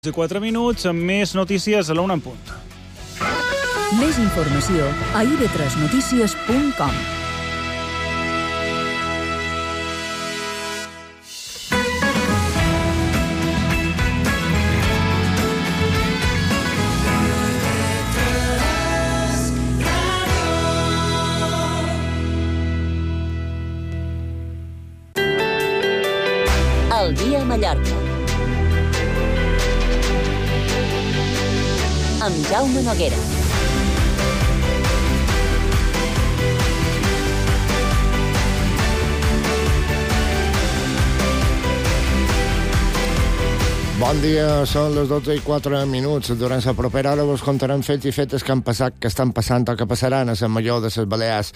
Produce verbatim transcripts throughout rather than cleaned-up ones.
I quatre minuts amb més notícies a la una en punt. Més informació a i ve tres notícies punt com. El dia a Mallorca. Amb Jaume Noguera. Bon dia, són les dotze i quatre minuts. Durant la propera hora vos contarem fets i fetes que han passat, que estan passant o que passaran a Sant Major de les Balears.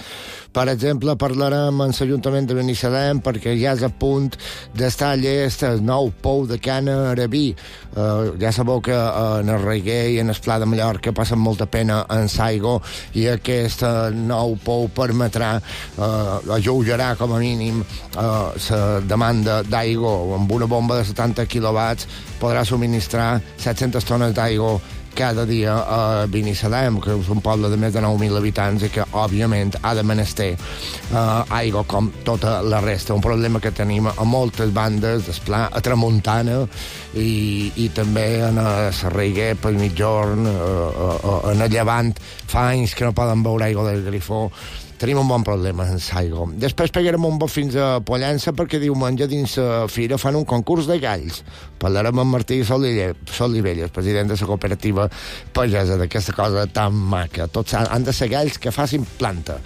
Per exemple, parlarem amb l'Ajuntament de Binissalem perquè ja és a punt d'estar llest el nou pou de Cana Arabí. Uh, ja sabeu que uh, en el Reguer i en el Pla de Mallorca passen molta pena en l'aigua i aquest uh, nou pou permetrà, uh, alleujarà com a mínim la uh, demanda d'aigua. Amb una bomba de setanta quilowatts podrà subministrar set-centes tones d'aigua cada dia a Binissalem, que és un poble de més de nou mil habitants i que, òbviament, ha de menester uh, aigua com tota la resta. Un problema que tenim a moltes bandes del Pla, a Tramuntana i, i també en el Reguer, pel mitjorn, uh, uh, en el Llevant. Fa anys que no poden beure aigua del grifó. Tenim un bon problema en l'aigua. Després pegarem un bot fins a Pollença perquè diumenge dins la fira fan un concurs de galls. Parlarem amb Martí Solivelles, president de la cooperativa pagesa, d'aquesta cosa tan maca. Tots han de ser galls que facin planta.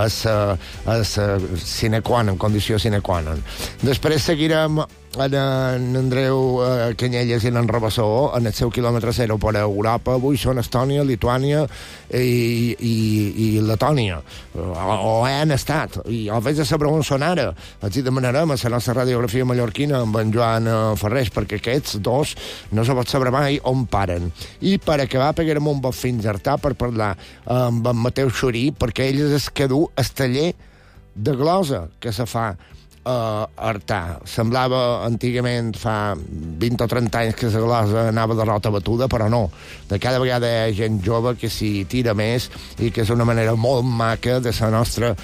És, és sine qua non, condició sine qua non. Després seguirem en, en Andreu eh, Canyelles i en Rabassó en el seu quilòmetre zero per Europa. Avui són Estònia, Lituània i, i, i Letònia, o, o han estat, i o vés a saber on són ara. Els hi demanarem a la nostra radiografia mallorquina amb en Joan Ferrés, perquè aquests dos no se pot saber mai on paren. I per acabar pegarem un bot fins a Artà per parlar amb en Mateu Xurí, perquè ell és el que du el taller de glosa que se fa a Artà. Semblava antigament fa vint o trenta anys que la glosa anava de rota batuda, però no. De cada vegada hi ha gent jove que s'hi tira més i que és una manera molt maca de la nostra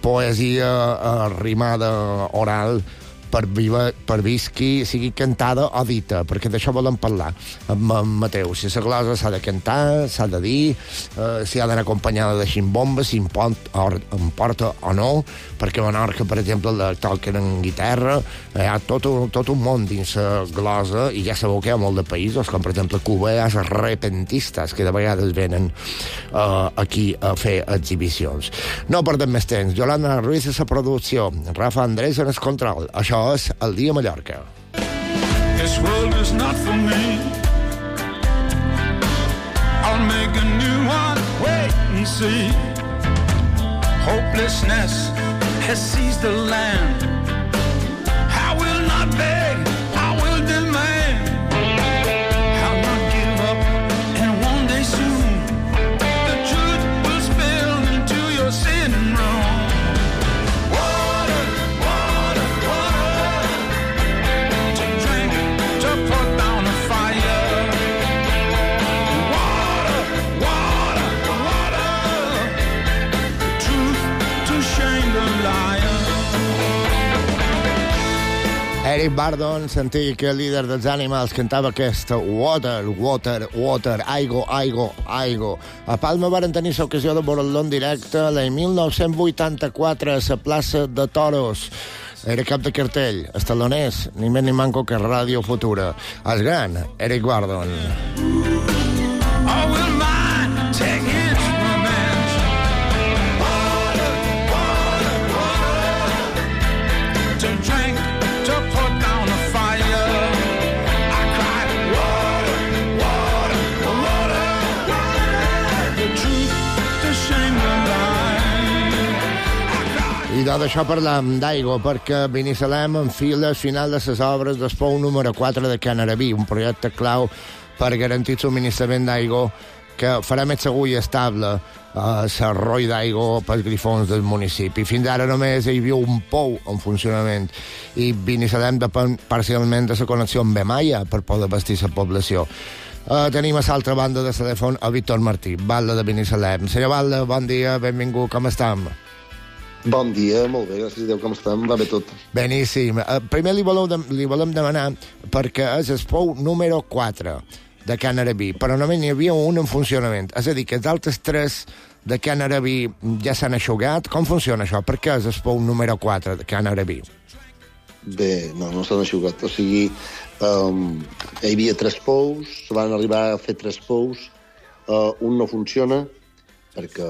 poesia rimada oral per, viva, per visqui, sigui cantada o dita, perquè d'això volem parlar amb en Mateu. Si la glosa s'ha de cantar, s'ha de dir, eh, si ha d'anar acompanyada de ximbombes, si importa o no, perquè a Menorca, per exemple, la toquen en guitarra, hi ha tot un, tot un món dins la glosa, i ja sabeu que hi ha molt de països, com per exemple Cuba, hi ha els repentistes, que de vegades venen eh, aquí a fer exhibicions. No perdem més temps. Yolanda Ruiz a la producció, Rafa Andrés en el control. Això és El dia a Mallorca. This world is not for me. I'll make a new one. Wait and see. Hopelessness has seized the land. I will not beg, I will demand. I'll not give up, and one day soon the truth will spill into your sin room. Water, water, water, to drink, to put down a fire. Water, water, water, the truth to shame the liar. Eric Burdon, antic líder dels Animals, cantava aquesta Water, Water, Water, aigua, aigua, aigua. A Palma varen tenir l'ocasió de veure-lo en directe l'any mil nou-cents vuitanta-quatre a la plaça de Toros. Era cap de cartell, estaloners, ni més ni manco que Ràdio Futura. El gran Eric Burdon. I will mind take its revenge. Water, water, water, to drink, to put down a fire. I cried, water, water, water, water, the truth to shame the lie. I cried. I d'això parlam d'aigua, perquè Binissalem enfila al final de les obres del pou número quatre de Can Arabí, un projecte clau per garantir el subministrament d'aigua que farà més segur i estable l'arroi d'aigua pels grifons del municipi. Fins ara només hi havia un pou en funcionament i Binissalem depèn parcialment de la connexió amb Bemaia per poder abastir la població. Uh, tenim a l'altra banda de telèfon a Víctor Martí, Batlle de Binissalem. Senyor Batlle, bon dia, benvingut, com estem? Bon dia, molt bé, gràcies a Déu, com estem? Va bé tot. Beníssim. Uh, primer li, voleu de, li volem demanar perquè és el pou número quatre de Can Arabí, però només n'hi havia un en funcionament. És a dir, que els altres tres de Can Arabí ja s'han aixugat. Com funciona això? Per què és el pou número quatre de Can Arabí? Bé, no, no s'han aixugat. O sigui, um, hi havia tres pous, se van arribar a fer tres pous, uh, un no funciona perquè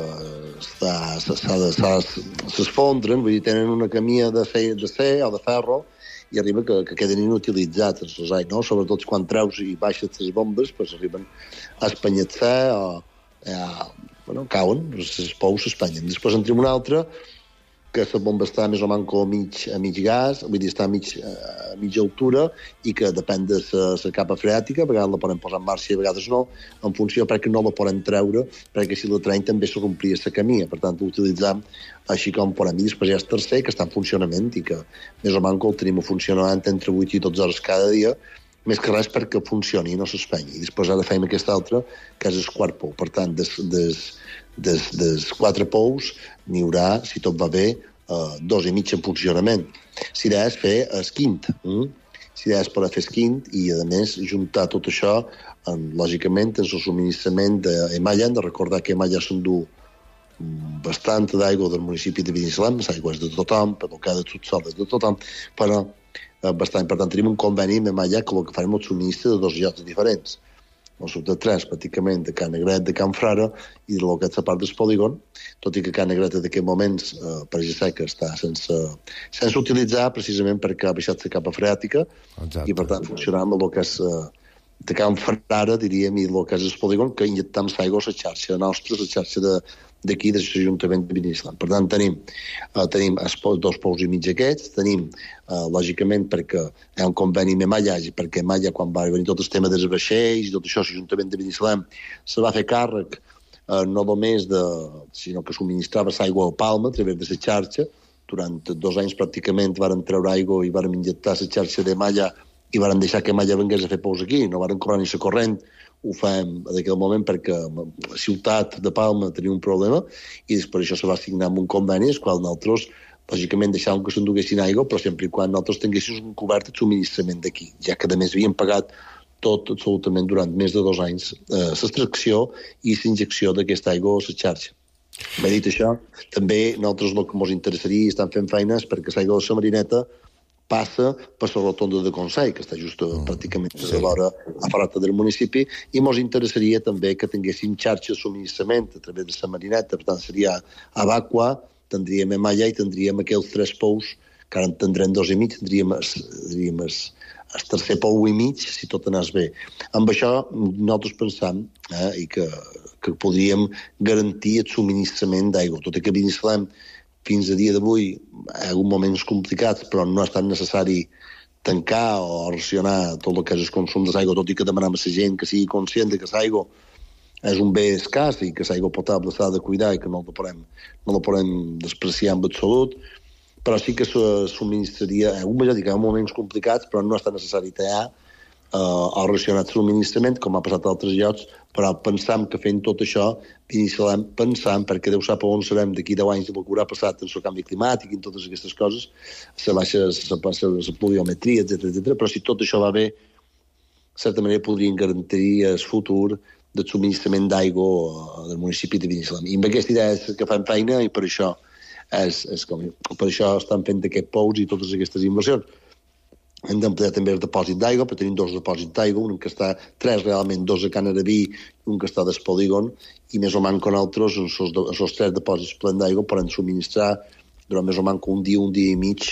s'esfondren, vull dir, tenen una camia de fer, de ser o de ferro i arriba que, que queden inutilitzats els rosais, no? Sobretot quan treus i baixes les bombes, pues arriben a espanyar-se o eh, bueno, cauen, els pous s'espanyen. Després en tenim un altre que la bomba està més o menys a mig, a mig gas, vull dir, està a, mig, a mitja altura i que depèn de la capa freàtica, a vegades la podem posar en marxa i a vegades no, en funció perquè no la podem treure, perquè si la traiem també se complia la camia, per tant l'utilitzam així com podem. I després hi ha el tercer que està en funcionament i que més o menys el tenim funcionant entre vuit i dotze hores cada dia, més que res perquè funcioni i no s'espenyi. I després ara feim aquest altre, que és el quart pou. Per tant, des, des, des, des quatre pous n'hi haurà, si tot va bé, uh, dos i mig en funcionament. Si d'és fer el quint, mm? si d'és per fer el quint i, a més, juntar tot això, en, lògicament, en el subministrament d'Emalla. Hem de recordar que Emalla s'endú bastant d'aigua del municipi de Binissalem, l'aigua és de tothom, però cada subsol és de tothom, però bastant. Per tant, tenim un conveni amb Emalla que el que farem el subministre de dos llocs diferents. El sud de tres, pràcticament, de Can Negret, de Can Frara, i de lo que és la part del polígon, tot i que Can Negret en aquests moments, eh, per ja sé que està sense, sense utilitzar, precisament perquè ha baixat la capa freàtica, exacte, i per tant funcionar amb el que és eh, de Can Frara, diríem, i el que és el polígon, que injectam l'aigua a la xarxa nostra, la xarxa de d'aquí, de l'Ajuntament de Binissalem. Per tant, tenim, uh, tenim els dos pous i mig aquests, tenim, uh, lògicament, perquè hi ha un conveni amb Emalla, i perquè Emalla, quan va venir tot el tema dels vaixells i tot això, l'Ajuntament de Binissalem se va fer càrrec uh, no només de, sinó que subministrava l'aigua al Palma a través de la xarxa. Durant dos anys pràcticament varen treure aigua i varen injectar la xarxa d'Emalla i varen deixar que Emalla vengués a fer pous aquí, no varen cobrar ni la corrent. Ho fem en aquell moment perquè la ciutat de Palma tenia un problema i després això se va signar amb un conveni el qual nosaltres, lògicament, deixàvem que s'enduguessin aigua, però sempre i quan nosaltres tinguéssim un cobert de subministrament d'aquí, ja que a més havíem pagat tot absolutament durant més de dos anys eh, l'extracció i l'injecció d'aquesta aigua a la xarxa. Bé dit això, també nosaltres el que ens interessaria i estan fent feines perquè l'aigua de la Marineta passa per la rotonda de Consell, que està just mm, pràcticament sí. a l'hora a farata del municipi, i ens interessaria també que tinguéssim xarxa de subministrament a través de la Marineta, per tant seria a Bacua, tindríem Emalla i tindríem aquells tres pous, que ara en tindrem dos i mig, tindríem el, el tercer pou i mig, si tot anés bé. Amb això nosaltres pensam eh, i que, que podríem garantir el subministrament d'aigua, tot i que Binissalem fins a dia d'avui hi ha hagut moments complicats, però no ha estat necessari tancar o racionar tot el que és el consum d'aigua, tot i que demanem a la gent que sigui conscient que l'aigua és un bé escàs i que l'aigua potable s'ha de cuidar i que no la podem, no la podem despreciar en absolut, però sí que se subministraria, hi ha hagut, hi ha moments complicats, però no ha estat necessari tallar eh, o racionar el subministrament, com ha passat a altres llocs, però pensam que fent tot això, Binissalem, pensam, perquè Déu sap on serem d'aquí deu anys del que haurà passat en el canvi climàtic i en totes aquestes coses, la baixa, la pluviometria, etcètera, etcètera, però si tot això va bé, de certa manera podrien garantir el futur del subministrament d'aigua del municipi de Binissalem. I amb aquesta idea és que fan feina i per això, és, és com, per això estan fent aquests pous i totes aquestes inversions. Hem d'ampliar també el depòsit d'aigua, però tenim dos depòsits d'aigua, un que està, tres realment, dos a Can Arabí i un que està del polígon, i més o menys que nosaltres, els tres depòsits plens d'aigua, poden subministrar durant més o menys un dia, un dia i mig,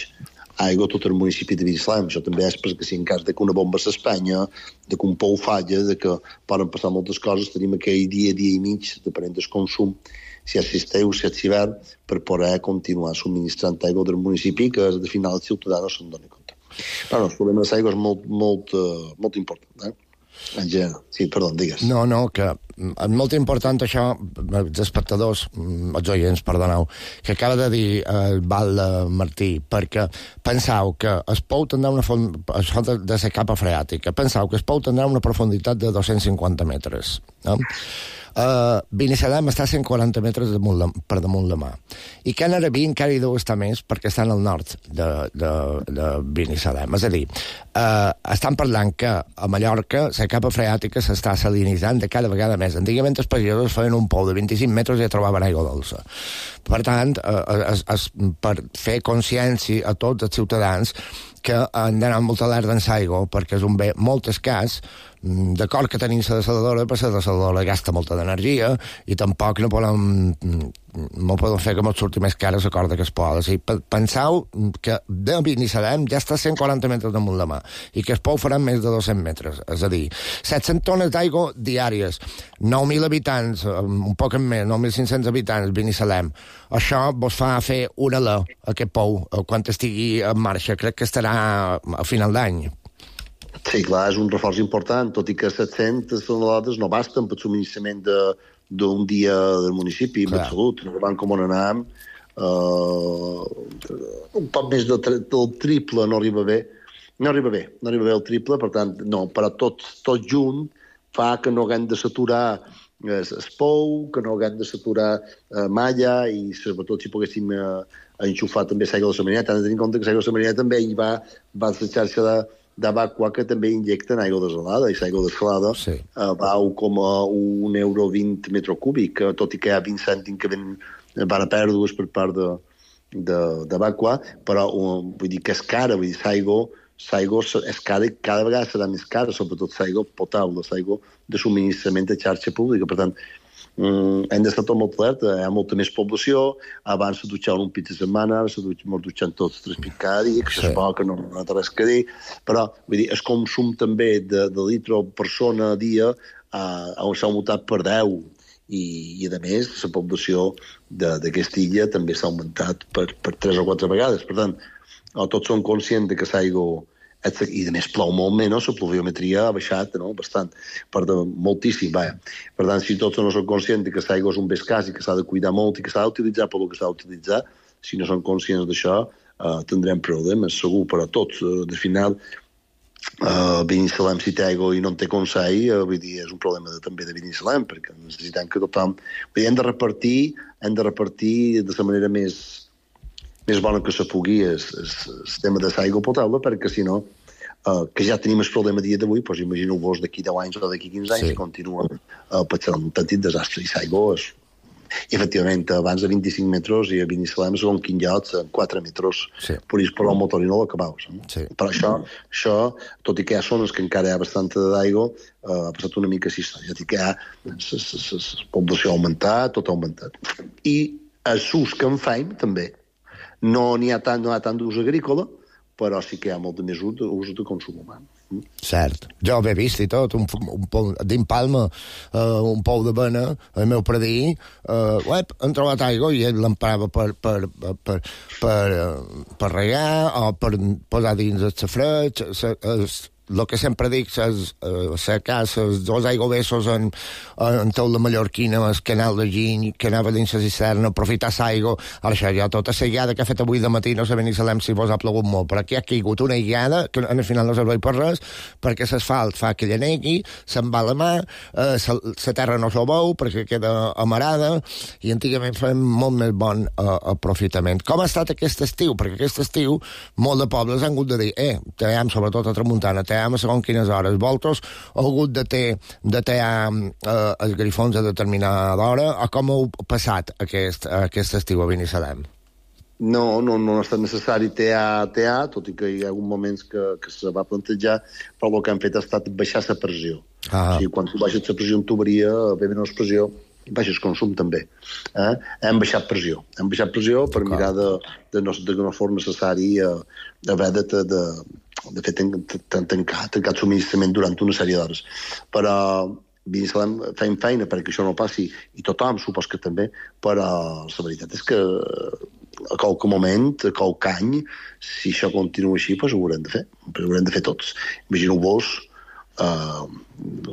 aigua a tot el municipi de Binissalem. Això també és perquè si en cas de que una bomba s'espanya, de que un pou falla, de que poden passar moltes coses, tenim aquell dia, dia i mig, depenent del consum, si és estiu, si és hivern, per poder continuar subministrant aigua del municipi, que al final el ciutadà no se'n doni compte. Però no, el problema de l'aigua és molt, molt, uh, molt important. Eh? En general. Sí, perdó, digues. No, no, que és molt important això, els espectadors, els oients, perdoneu, que acaba de dir el Val Martí, perquè penseu que es pou tindre una font, això de, de la capa freàtica, penseu que es pou tindre una profunditat de dos-cents cinquanta metres, no? Uh, Binissalem està a cent quaranta metres damunt la, per damunt la mà. I Can Arabí encara hi deu estar més perquè estan al nord de, de, de Binissalem. És a dir, uh, estan parlant que a Mallorca la capa freàtica s'està salinitzant de cada vegada més. Antigament els pagesos feien un pou de vint-i-cinc metres i ja trobaven aigua dolça. Per tant, uh, es, es, per fer consciència a tots els ciutadans que han d'anar molt alerta en l'aigua perquè és un bé molt escàs. D'acord que tenim la desaladora, però la desaladora gasta molta d'energia i tampoc no podem, no podem fer que ens surti més cara la corda que es pot. O sigui, penseu que de Binissalem ja està a cent quaranta metres damunt la mà i que es pou faran més de dos-cents metres. És a dir, set-cents tones d'aigua diàries, nou mil habitants, un poc més, nou mil cinc-cents habitants, Binissalem. Això vos fa fer una alè, aquest pou, quan estigui en marxa. Crec que estarà a final d'any. Sí, clar, és un reforç important, tot i que set-cents tonelades no basten per subministrament d'un dia del municipi, amb salut. No van com on anàvem, uh, un poc més del, del triple no arriba bé. No arriba bé, no arriba bé el triple, per tant, no, però tot, tot junt fa que no haguem de saturar es pou, que no haguem de saturar uh, malla i sobretot si poguéssim uh, enxufar també l'aigua de la Marineta. Han de tenir en compte que l'aigua de la Marineta també hi va, va a la xarxa de d'Abaqua que també injecten aigua desalada, i l'aigua desalada sí. uh, val com a un euro vint metre cúbic, tot i que hi ha vint cèntims que ven, van a pèrdues per part d'Abaqua, però uh, vull dir que és cara, vull dir, l'aigua és cara i cada vegada serà més cara, sobretot l'aigua potable, l'aigua de subministrament de xarxa pública. Per tant, Mm, hem d'estar tot molt alerta, hi ha molta més població, abans se dutxaven un pit a setmana, ara se dutxen, dutxen tots tres pits cada dia, que sí. És bo, que no, no té res que dir, però vull dir, el consum també de, de litro persona a dia uh, s'ha augmentat per deu, i, i a més la població d'aquesta illa també s'ha augmentat per, per tres o quatre vegades. Per tant, tots som conscients de que l'aigua i a més plou molt menys, la pluviometria ha baixat no? bastant, per de, moltíssim, vaja. Per tant, si tots no som conscients que l'aigua és un bé escàs i que s'ha de cuidar molt i que s'ha d'utilitzar per el que s'ha d'utilitzar, si no som conscients d'això, eh, tindrem problemes, segur, però tots. Eh, de final, eh, Binissalem, si té aigua i no en té consell, eh, vull dir, és un problema de, també de Binissalem, perquè necessitem que tothom... Vull dir, hem de repartir, hem de repartir de la manera més... més bona que se pugui el, el tema de l'aigua potable, perquè si no, uh, que ja tenim el problema dia d'avui, doncs imagineu-vos d'aquí deu anys o d'aquí quinze anys, sí. Continua uh, passant un petit desastre. I l'aigua és, efectivament, abans de vint-i-cinc metres i a Binissalem, segons quin lloc, en quatre metres, sí. Podies posar el motor i no l'acabaves. No? Sí. Però això, això, tot i que hi ha zones que encara hi ha bastanta d'aigua, uh, ha passat una mica així, tot i que hi ha la població ha augmentat, tot ha augmentat. I els ús que en faim, també. No n'hi ha tant, no hi ha tant d'ús agrícola, però sí que hi ha molt més ús de, ús de consum humà. Mm. Cert. Jo ho he vist i tot, un, un pou d'Impalma, uh, un pou de bena, el meu predí, uh, uep, han trobat aigua i ell l'emprava per, per, per, per, per, uh, per regar o per posar dins el safreig, el que sempre dic és secar els dos aigüessos en, en tot la mallorquina, el canal de Giny, que anava dins la cisterna, aprofitar l'aigua. Ara això ja tota la guiada que ha fet avui de matí, no sé ben Binissalem si vos ha plogut molt, però aquí ha caigut una guiada que al final no serveix per res, perquè l'asfalt fa que llenegui, se'n va la mà, eh, la terra no s'ho veu perquè queda amarada, i antigament fèiem molt més bon eh, aprofitament. Com ha estat aquest estiu? Perquè aquest estiu molt de pobles han hagut de dir, eh, team, sobretot a Tramuntana, team a segons quines hores. Vosaltres heu hagut de ter, de ter eh, els grifons a determinada hora, o com heu passat aquest, aquest estiu a Binissalem? No, no, no ha estat necessari T A, T A, tot i que hi ha hagut moments que, que se va plantejar, però el que han fet ha estat baixar la pressió. Ah. O sigui, quan tu baixes la pressió en tuberia, ve menys pressió, baixes consum també. Eh? Hem baixat pressió. Hem baixat pressió per mirar de, de, no, de no fos necessari eh, haver de, de, de, de fer tancar, tancar el subministrament durant una sèrie d'hores. Però Binissalem fem feina perquè això no passi, i tothom supos que també, però la veritat és que a qualque moment, a qualque any, si això continua així, doncs ho haurem de fer. Ho haurem de fer tots. Imagineu-vos uh,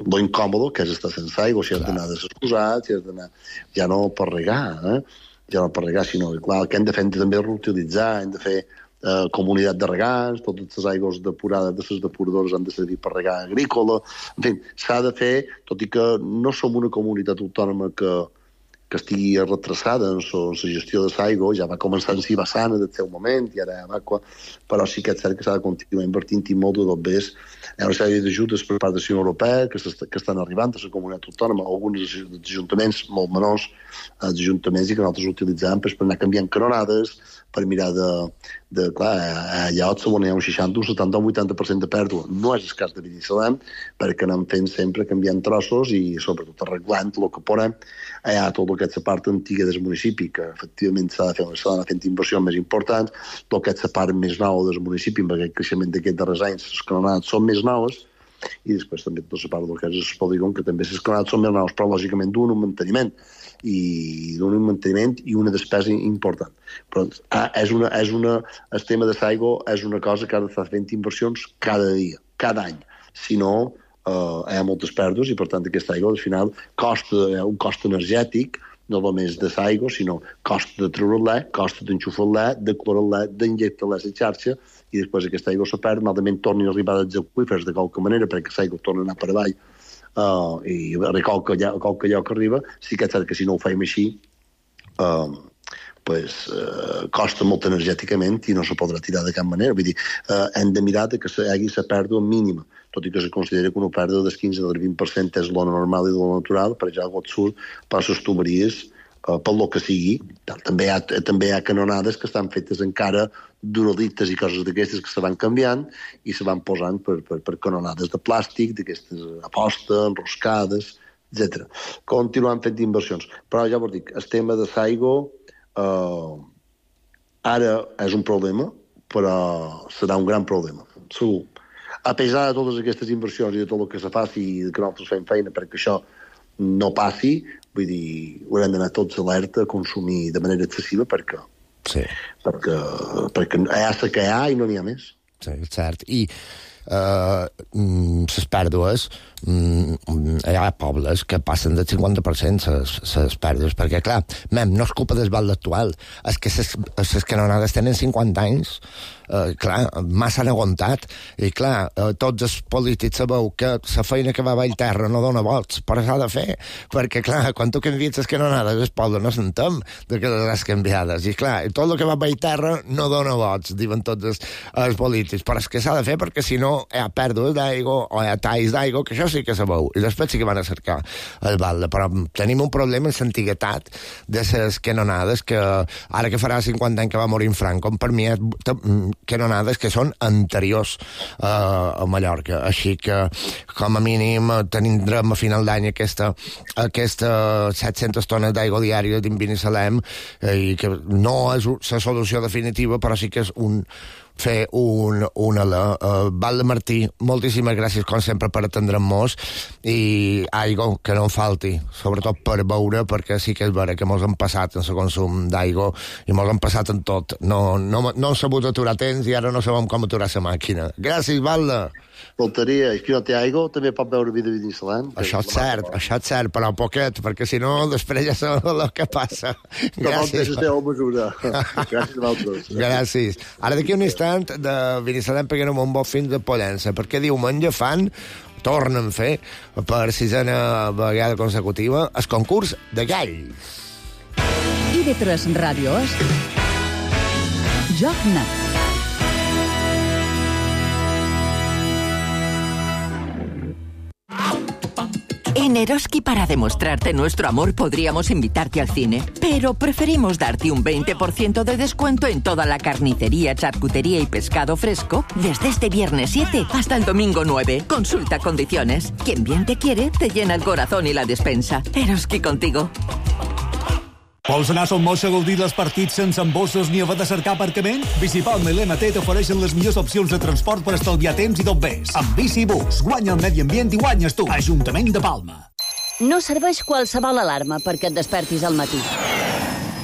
lo incòmodo que és estar sense aigua, si has d'anar desexcusat, si has d'anar... Ja no per regar, eh? Ja no per regar, sinó clar, el que hem de fer també és reutilitzar, hem de fer eh, comunitat de regants, totes les aigües depurades de les depuradores han de servir per regar agrícola, en fi, s'ha de fer, tot i que no som una comunitat autònoma que, que estigui retrasada en la gestió de l'aigua, ja va començar en Sibassana del seu moment, i ara Evacua, però sí que és cert que s'ha de continuar invertint i molt de dobbers. Hi ha una sèrie d'ajudes per part de la Unió Europea que, que estan arribant a la comunitat autònoma, alguns ajuntaments molt menors, els ajuntaments i que nosaltres utilitzàvem per anar canviant canonades, per mirar de... de clar, a llocs on hi ha un seixanta, un setanta o un vuitanta per cent de pèrdua. No és el cas de Binissalem, perquè anem fent sempre canviant trossos i sobretot arreglant el que podem. Hi ha tot el que és la part antiga del municipi, que efectivament s'ha de fer, s'ha d'anar fent inversions més importants, el que és la part més nova del municipi, amb aquest creixement d'aquests darrers anys, les canonades són més noves, i després també tota la part del que és el polígon, que també les canonades són més noves, però lògicament d'un manteniment, i d'un manteniment i una despesa important. Però ah, és una, és una, el tema de l'aigua és una cosa que ha d'estar fent inversions cada dia, cada any. Si no, eh, hi ha moltes pèrdues i, per tant, aquesta aigua, al final, costa un cost energètic, no només de l'aigua, sinó costa de treure-la, costa d'enxufar-la, de clorar-la, d'injectar-la a la xarxa, i després aquesta aigua se perd, malament torni a arribar als aqüífers de qualque manera, perquè l'aigua torna a anar per avall, Uh, i a qualque, a qualque lloc que arriba, sí que és cert que si no ho fem així uh, pues, uh, costa molt energèticament i no se podrà tirar de cap manera. Vull dir, uh, hem de mirar que hi hagi la pèrdua mínima, tot i que se considera que una pèrdua del quinze al vint per cent és lo normal i lo natural, per ja el surt per les tuberies, uh, per lo que sigui. També hi, ha, també hi ha canonades que estan fetes encara d'uralites i coses d'aquestes que se van canviant i se van posant per, per, per canonades de plàstic, d'aquestes aposta, enroscades, etcètera. Continuant fent inversions. Però ja vos dic, el tema de l'aigua eh, ara és un problema, però serà un gran problema, segur. A pesar de totes aquestes inversions i de tot el que se faci i que nosaltres fem feina perquè això no passi, vull dir, haurem d'anar tots alerta a consumir de manera excessiva perquè Sí. Perquè, perquè hi ha la que hi ha i no n'hi ha més. Sí, és cert. I uh, les pèrdues, mm, hi ha pobles que passen del cinquanta per cent les pèrdues, perquè, clar, mem, no és culpa del val actual, és que les canonades tenen cinquanta anys, uh, clar, massa han aguantat, i clar, uh, tots els polítics sabeu que la feina que va a Vallterra no dona vots, però s'ha de fer, perquè, clar, quan tu canvies les canonades, el poble no s'entén de que les canviades, i clar, tot el que va a Vallterra no dona vots, diuen tots els, els polítics, però és que s'ha de fer perquè si no hi ha pèrdues d'aigua o hi ha talls d'aigua, que això sí que sabeu, i després sí que van a cercar el balde, però tenim un problema en l'antiguitat de les canonades que ara que farà cinquanta anys que va morir en Franco, per mi és canonades que són anteriors uh, a Mallorca, així que com a mínim tindrem a final d'any aquesta, aquesta set-centes tones d'aigua diària dins Binissalem, eh, i que no és la solució definitiva, però sí que és un fer un, un alè. Uh, Val de Martí, moltíssimes gràcies com sempre per atendre'm-nos i aigua que no en falti, sobretot per beure, perquè sí que és vera que mos han passat en el consum d'aigua i mos han passat en tot. No, no, no hem sabut aturar temps i ara no sabem com aturar la màquina. Gràcies, Valde. Faltaria, és que no té aigua, també pot beure vi de Binissalem. Això és cert, això és cert, però poquet, perquè si no, després ja sabeu el que passa. Gràcies. Gràcies a vosaltres. Gràcies. Ara d'aquí un instant de Binissalem peguem un bo fins de Pollença, perquè diumenge fan, tornen a fer, per sisena vegada consecutiva, el concurs de galls. I de tres Ràdio és Joc Net. En Eroski, para demostrarte nuestro amor, podríamos invitarte al cine, pero preferimos darte un veinte por ciento de descuento en toda la carnicería, charcutería y pescado fresco desde este viernes siete hasta el domingo nueve. Consulta condiciones. Quien bien te quiere, te llena el corazón y la despensa. Eroski contigo. Vols anar a Son Moix a gaudir dels partits sense embossos ni haver de cercar aparcament? Bicipalma i l'M T t'ofereixen les millors opcions de transport per estalviar temps i tot més. Amb Bicibús, guanya el medi ambient i guanyes tu. Ajuntament de Palma. No serveix qualsevol alarma perquè et despertis al matí.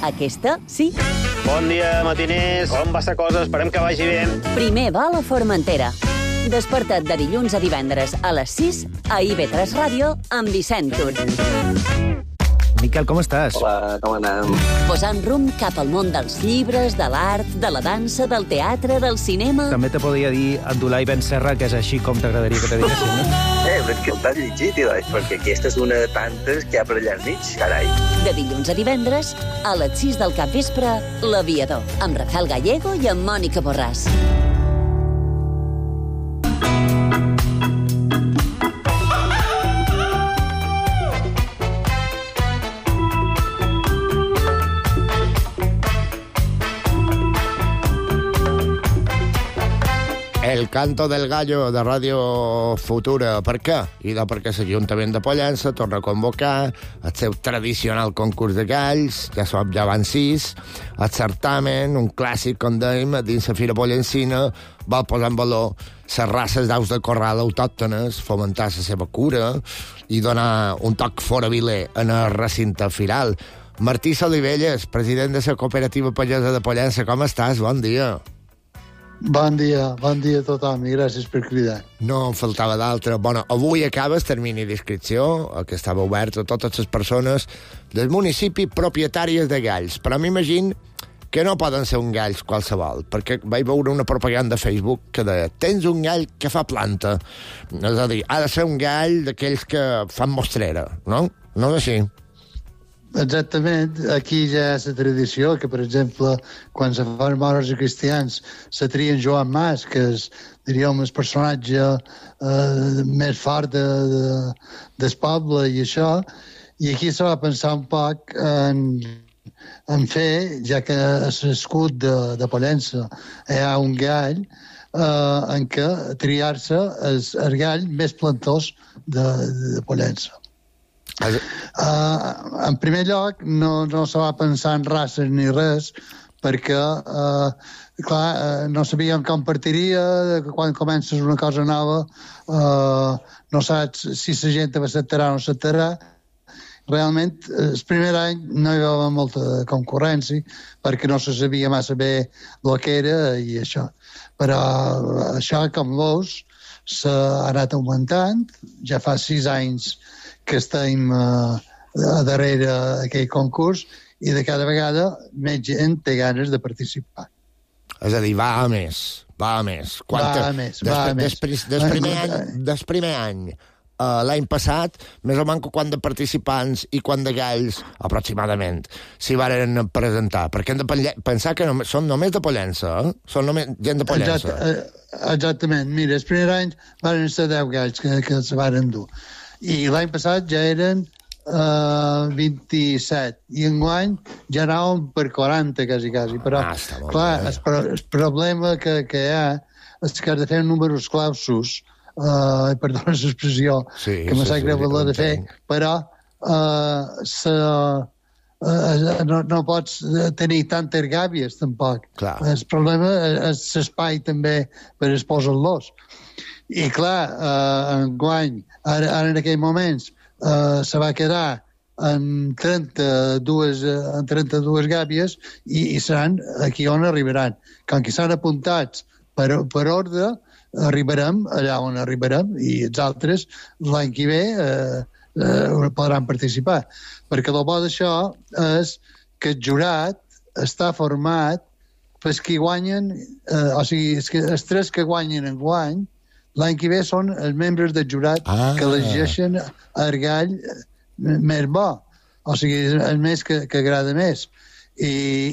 Aquesta, sí. Bon dia, matiners. Com va la cosa? Esperem que vagi bé. Primer va a la Formentera. Desperta't de dilluns a divendres a les sis a I V tres Ràdio amb Vicent Tur. Miquel, com estàs? Hola, com anem? Posant rumb cap al món dels llibres, de l'art, de la dansa, del teatre, del cinema... També te podria dir Abdullah Ben Serra, que és així com t'agradaria que te diguessin, no? Eh, però és que t'has llegit, doncs, perquè aquesta és una de tantes que hi ha per allà al mig, carai. De dilluns a divendres, a les sis del capvespre, L'Aviador, amb Rafael Gallego i amb Mònica Borràs. El canto del gallo de Ràdio Futura. Per què? I de perquè l'Ajuntament de Pollença torna a convocar el seu tradicional concurs de galls, ja som, ja van sis, el certamen, un clàssic, com dèiem, dins la Fira Pollencina, vol posar en valor les races d'aus de corral autòctones, fomentar la seva cura i donar un toc foraviler en el recinte firal. Martí Solivelles, president de la Cooperativa Pagesa de Pollença, com estàs? Bon dia. Bon dia, bon dia a tothom i gràcies per cridar. No en faltava d'altre. Bueno, avui acaba el termini d'inscripció, que estava obert a totes les persones del municipi propietàries de galls, però m'imagino que no poden ser un galls qualsevol, perquè vaig veure una propaganda a Facebook que deia, tens un gall que fa planta. És a dir, ha de ser un gall d'aquells que fan mostrera, no? No és així? Exactament, aquí ja hi ha la tradició que, per exemple, quan se fan morts a cristians, se trien Joan Mas, que és, diríem, el personatge eh, més fort de, de, del poble i això, i aquí se va pensar un poc en, en fer, ja que a l'escut de, de Pollença hi ha un gall, eh, en què triar-se el, el gall més plantós de, de Pollença. Uh, en primer lloc, no, no se va pensar en races ni res, perquè, uh, clar, uh, no sabíem com partiria, que quan comences una cosa nova, uh, no saps si la gent s'acceptarà o no s'acceptarà. Realment, el primer any no hi va haver molta concurrència, perquè no se sabia massa bé el que era i això. Però això, com veus, s'ha anat augmentant, ja fa sis anys que estem uh, a darrere d'aquell concurs i de cada vegada més gent té ganes de participar. És a dir, va a més, va a més. Quanta... Va a més, va a més. Des, des, primer any, des primer any, uh, l'any passat, més o menys quant de participants i quant de galls, aproximadament, s'hi varen presentar. Perquè hem de pensar que només, són només de Pollença, eh? Són només gent de Pollença. Exact, exactament. Mira, el primer any van ser deu galls que, que se varen dur. I l'any passat ja eren uh, vint-i-set, i enguany ja anàvem per quaranta, quasi, quasi. Però, ah, clar, el, pro el problema que, que hi ha és que has de fer números clausos, uh, perdona l'expressió, sí, que me sap greu de fer, però uh, se, uh, no, no pots tenir tantes gàbies, tampoc. Clar. El problema és l'espai també per exposar-los. I clar, eh, enguany, ara, ara en aquells moments, eh, se va quedar en trenta-dues, en trenta-dues gàbies i, i seran aquí on arribaran. Com que s'han apuntats per, per ordre, arribarem allà on arribarem i els altres l'any que ve eh, eh, podran participar. Perquè el bo d'això és que el jurat està format pels que guanyen, eh, o sigui, els, que, els tres que guanyen en guany, l'any que ve són els membres del jurat ah. que elegeixen el gall més bo, o sigui, el més que, que agrada més. I,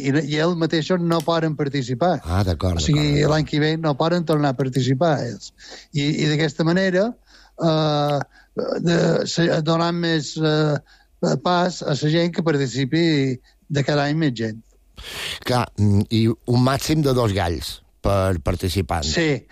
i, i ells mateixos no poden participar. Ah, d'acord. O sigui, l'any que ve no poden tornar a participar ells. I, i d'aquesta manera eh, de, donant més eh, pas a la gent que participi de cada any més gent. Clar, i un màxim de dos galls per participant. Sí.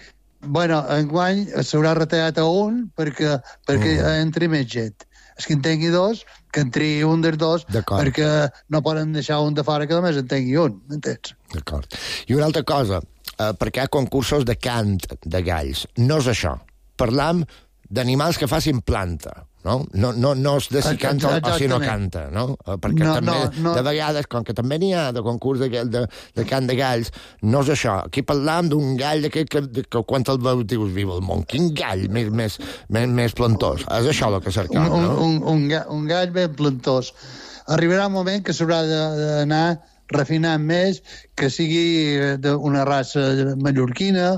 Bueno, enguany s'haurà retallat a un perquè, perquè mm. entri més gent. És que en tingui dos, que entri un dels dos, perquè no poden deixar un de fora que només en tingui un, m'entens? D'acord. I una altra cosa, eh, perquè hi ha concursos de cant de galls. No és això. Parlam d'animals que facin planta, no? No, no, no és de si canta o, o si no canta, no? Perquè no, també, no, no. de vegades, com que també n'hi ha de concurs de, de, de cant de galls, no és això. Aquí parlam d'un gall d'aquest que, que, que quan el veus dius, viva el món, quin gall més, més, més, més plantós. És això el que cercam, un, no? Un, un, un gall ben plantós. Arribarà un moment que s'haurà d'anar refinant més, que sigui d'una raça mallorquina,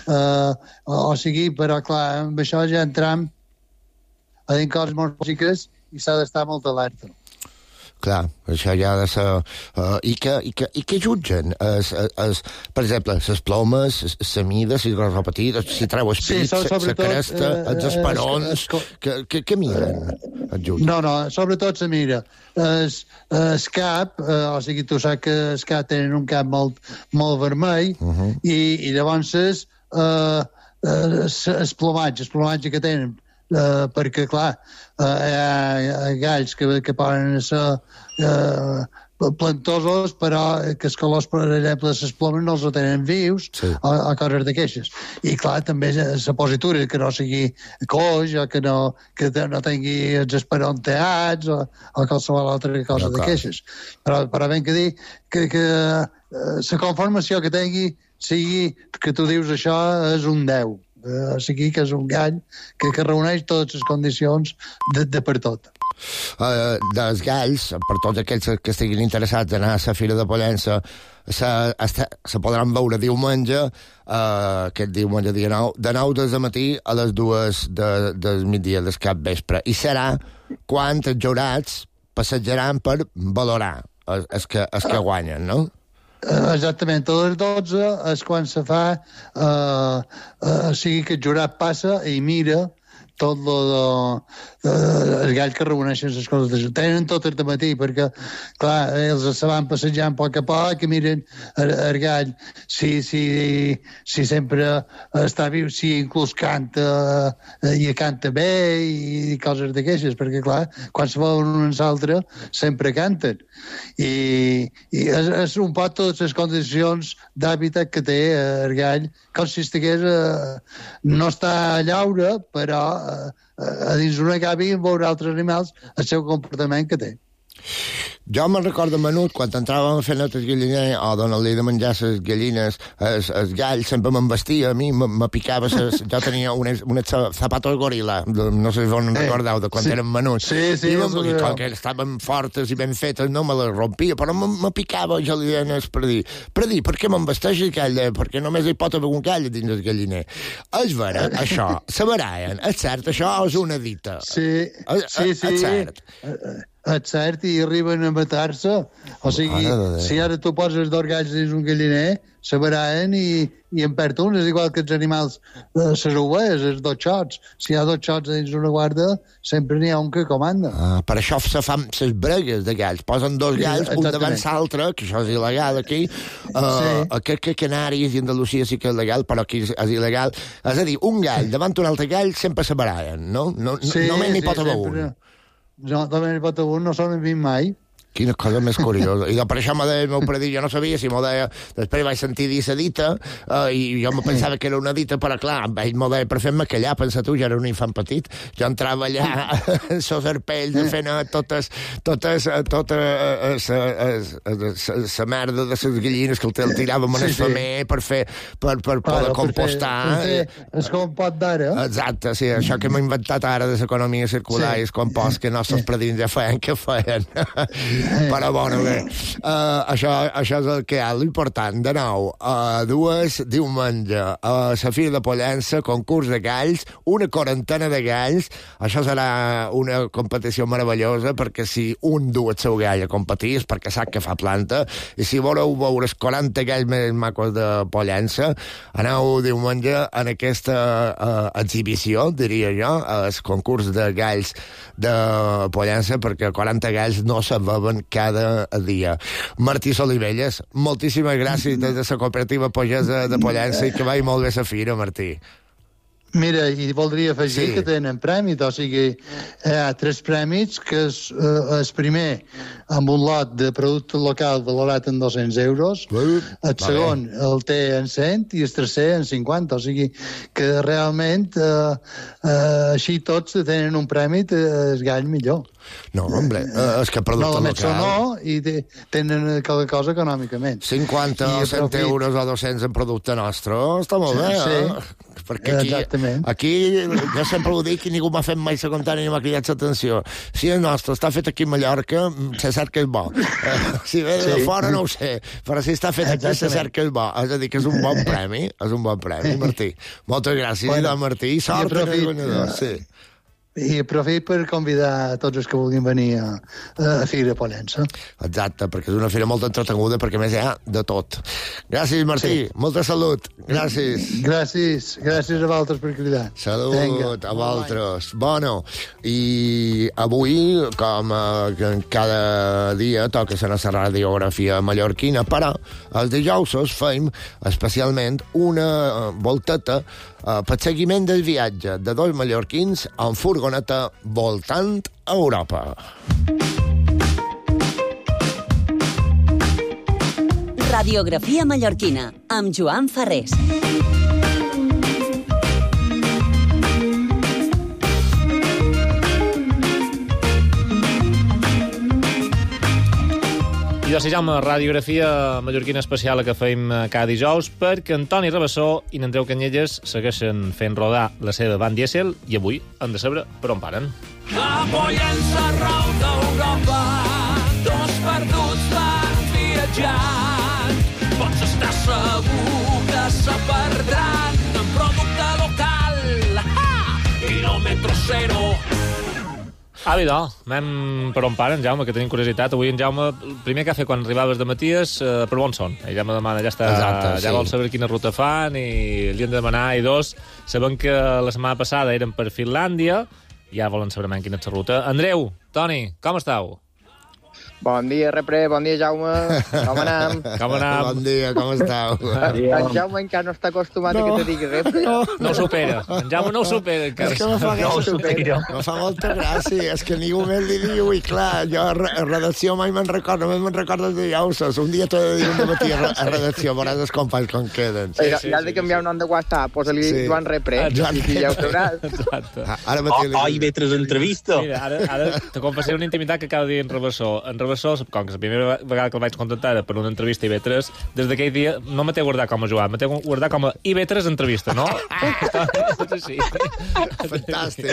eh, o sigui, però clar, amb això ja entram a dir coses molt bàsiques i s'ha d'estar molt alerta. Clar, això ja ha de ser... Uh, i, que, i, que, I que jutgen? Es, es, per exemple, les plomes, la mida, si gros o petit, si treu el pit, la sí, cresta, uh, els esperons... Es, es, que, que, que miren? No, no, sobretot se mira. Es, es cap, uh, o sigui, tu saps que els cap tenen un cap molt, molt vermell, uh -huh. i, i llavors es, uh, es, es plomatge, el plomatge que tenen, Uh, perquè, clar, uh, hi, ha, hi ha galls que, que poden ser uh, plantosos, però que els colors, per exemple, les plomes no els tenen vius, sí. o, o coses d'aquestes. I, clar, també la positura, que no sigui coix, o que no, que no tingui els esperons teats, o, o qualsevol altra cosa d'aquestes. Però, però ben que dir que, que uh, la conformació que tingui sigui que tu dius això és un deu. Uh, o sigui que és un gall que, que reuneix totes les condicions de, de per tot. Uh, dels galls, per tots aquells que estiguin interessats a anar a la Fira de Pollença, se, se podran veure diumenge, uh, aquest diumenge dia nou, de nou del matí a les dues de, del migdia del cap vespre. I serà quan els jurats passejaran per valorar els, els, que, els que guanyen, no? Exactament, a les dotze és quan se fa, eh, eh, o sigui que el jurat passa i mira tot lo de, de, els galls que reuneixen les coses d'això. Tenen tot el matí, perquè, clar, ells se van passejant a poc a poc i miren el, el gall, si, si, si sempre està viu, si inclús canta i canta bé i coses d'aquestes, perquè, clar, quan se veuen un i l'altre, sempre canten. I, i és, és un poc totes les condicions d'hàbitat que té el gall, com si estigués, eh, no està a llaure, però eh, a dins d'una gàbia veure altres animals el seu comportament que té. Jo me'n recordo menut, quan entràvem a fer notes galliner o donar-li de menjar les gallines, els, els galls sempre me'n vestia, a mi me picava, ses, jo tenia unes, unes zapatos goril·la, no sé si vos en recordeu, de quan sí. eren menuts. Sí, sí. I, I com que estaven fortes i ben fetes, no me les rompia, però me, me picava, jo li deia per dir, per dir, per què me'n vesteix el gall? Perquè només hi pot haver un gall dins el galliner. És vera, això, se baraien, és cert, això és una dita. Sí, és, sí, sí. És cert. És cert, i arriben a matar-se. O sigui, si ara tu poses dos galls dins un galliner, se baraen i, i en perd un. És igual que els animals, les ovelles, els dos xots. Si hi ha dos xots dins una guarda, sempre n'hi ha un que comanda. Ah, per això se fan les bregues de galls. Posen dos galls, sí, un davant l'altre, que això és il·legal aquí. Uh, sí. Crec que a Canàries i Andalusia sí que és legal, però aquí és il·legal. És a dir, un gall davant un altre gall sempre se baraen, no? no sí, només n'hi sí, pot haver un. No, també n'hi pot haver un, no s'ho vist mai. Quina cosa més curiosa. I per això m'ho deia el meu predit, jo no sabia si m'ho deia... Després vaig sentir dir la dita, uh, i jo me pensava que era una dita, però clar, ell m'ho deia per fer-me callar, pensa tu, jo era un infant petit. Jo entrava allà en sos arpells, fent totes, totes, tota la merda de les gallines que el tiràvem en el femer per fer, per, per poder compostar. És com pot d'ara. Exacte, sí, això que m'he inventat ara de l'economia circular i el compost, que nostres predins ja feien, que feien. Però, bueno, bé, uh, això, això és el que hi ha. L'important, de nou, uh, dues diumenge, a uh, la Fira de Pollença, concurs de galls, una quarantena de galls. Això serà una competició meravellosa, perquè si un du el seu gall a competir és perquè sap que fa planta, i si voleu veure els quaranta galls més macos de Pollença, aneu diumenge en aquesta uh, exhibició, diria jo, el concurs de galls de Pollença, perquè quaranta galls no se veuen cada dia. Martí Solivelles, moltíssimes gràcies des de la cooperativa Pagesa de Pollença i que vagi molt bé la fira, Martí. Mira, i voldria afegir Sí. que tenen prèmits, o sigui, hi ha tres prèmits, que és eh, el primer amb un lot de producte local valorat en dos-cents euros, Uh, el segon el té en cent i el tercer en cinquanta, o sigui que realment eh, eh, així tots tenen un prèmit, eh, es guany millor. No, hombre, eh, és que No, producte només local... no, i te, tenen cada cosa econòmicament. cinquanta I o cent aprofit- euros o dos-cents en producte nostre, està molt bé, Sí, eh? Perquè aquí, exactament. aquí, jo sempre ho dic, i ningú m'ha fet mai la contrari ni m'ha cridat l'atenció. Si el nostre està fet aquí a Mallorca, se sap que és bo. Eh, si ve de Sí. fora no ho sé, però si està fet aquí se Exactament. sap que és bo. És a dir, que és un bon premi, és un bon premi, Martí. Moltes gràcies, Bueno, bueno, Martí, i sort i en el aprofit, guanyador, eh, sí. I aprofit per convidar a tots els que vulguin venir a, a Fira Pollença. Exacte, perquè és una fira molt entreteguda, perquè a més hi ha de tot. Gràcies, Martí, Sí. molta salut. Gràcies. Gràcies, gràcies a vosaltres per cridar. Salut Vinga. a vosaltres. Bueno, i avui, com eh, cada dia, toca ser la radiografia mallorquina, però els dijous feim especialment una volteta eh, per seguiment del viatge de dos mallorquins en furgoneta voltant a Europa. Radiografia mallorquina, amb Joan Ferrés. I jo, si Jaume, radiografia mallorquina especial que fem cada dijous perquè Antoni Rabassó i n'Andreu Canyelles segueixen fent rodar la seva van dièsel i avui han de saber per on paren. A Pollença, arreu d'Europa, dos perduts van viatjant. Pots estar segur que se perdran en producte local. Ah! Quilòmetre zero. Ah, bé, no. Anem per on paren, Jaume, que tenim curiositat. Avui en Jaume, el primer que ha fet quan arribaves de Maties, eh, per on són? Ell ja me demana, ja està, Exacte, ja sí. vol saber quina ruta fan i li han de demanar. I dos, sabem que la setmana passada eren per Finlàndia, ja volen saber més quina és la ruta. Andreu, Toni, com estàu? Bon dia, Repre, bon dia, Jaume. Com anem? Com anem? Bon dia, com estàu? En Jaume encara no està acostumat No. a que te digui Repre. No. No ho supera. En Jaume no ho supera, encara. És que me fa, No ho gràcia, supera. me fa molta gràcia, és que ningú més li diu, i clar, jo a re- a redacció mai me'n recordo, només me'n recordo de dijous. Un dia t'ho he de dir un dematí a, re- a redacció, veuràs els companys com queden. Sí, sí, ja has de canviar un nom de WhatsApp, posa-li Sí. Joan Repre, Joan i ja ho sabràs. Exacte. Ah, Ara mateix li- Oh, i vetres entrevista. Mira, ara, ara te confessaré una intimitat que acaba de dir en Rabassó. En Rabassó, com que la primera vegada que el vaig contactar era per una entrevista a I V tres, des d'aquell dia no me té guardat com a Joan, me té guardat com a I V tres entrevista, no? Sí. Fantàstic.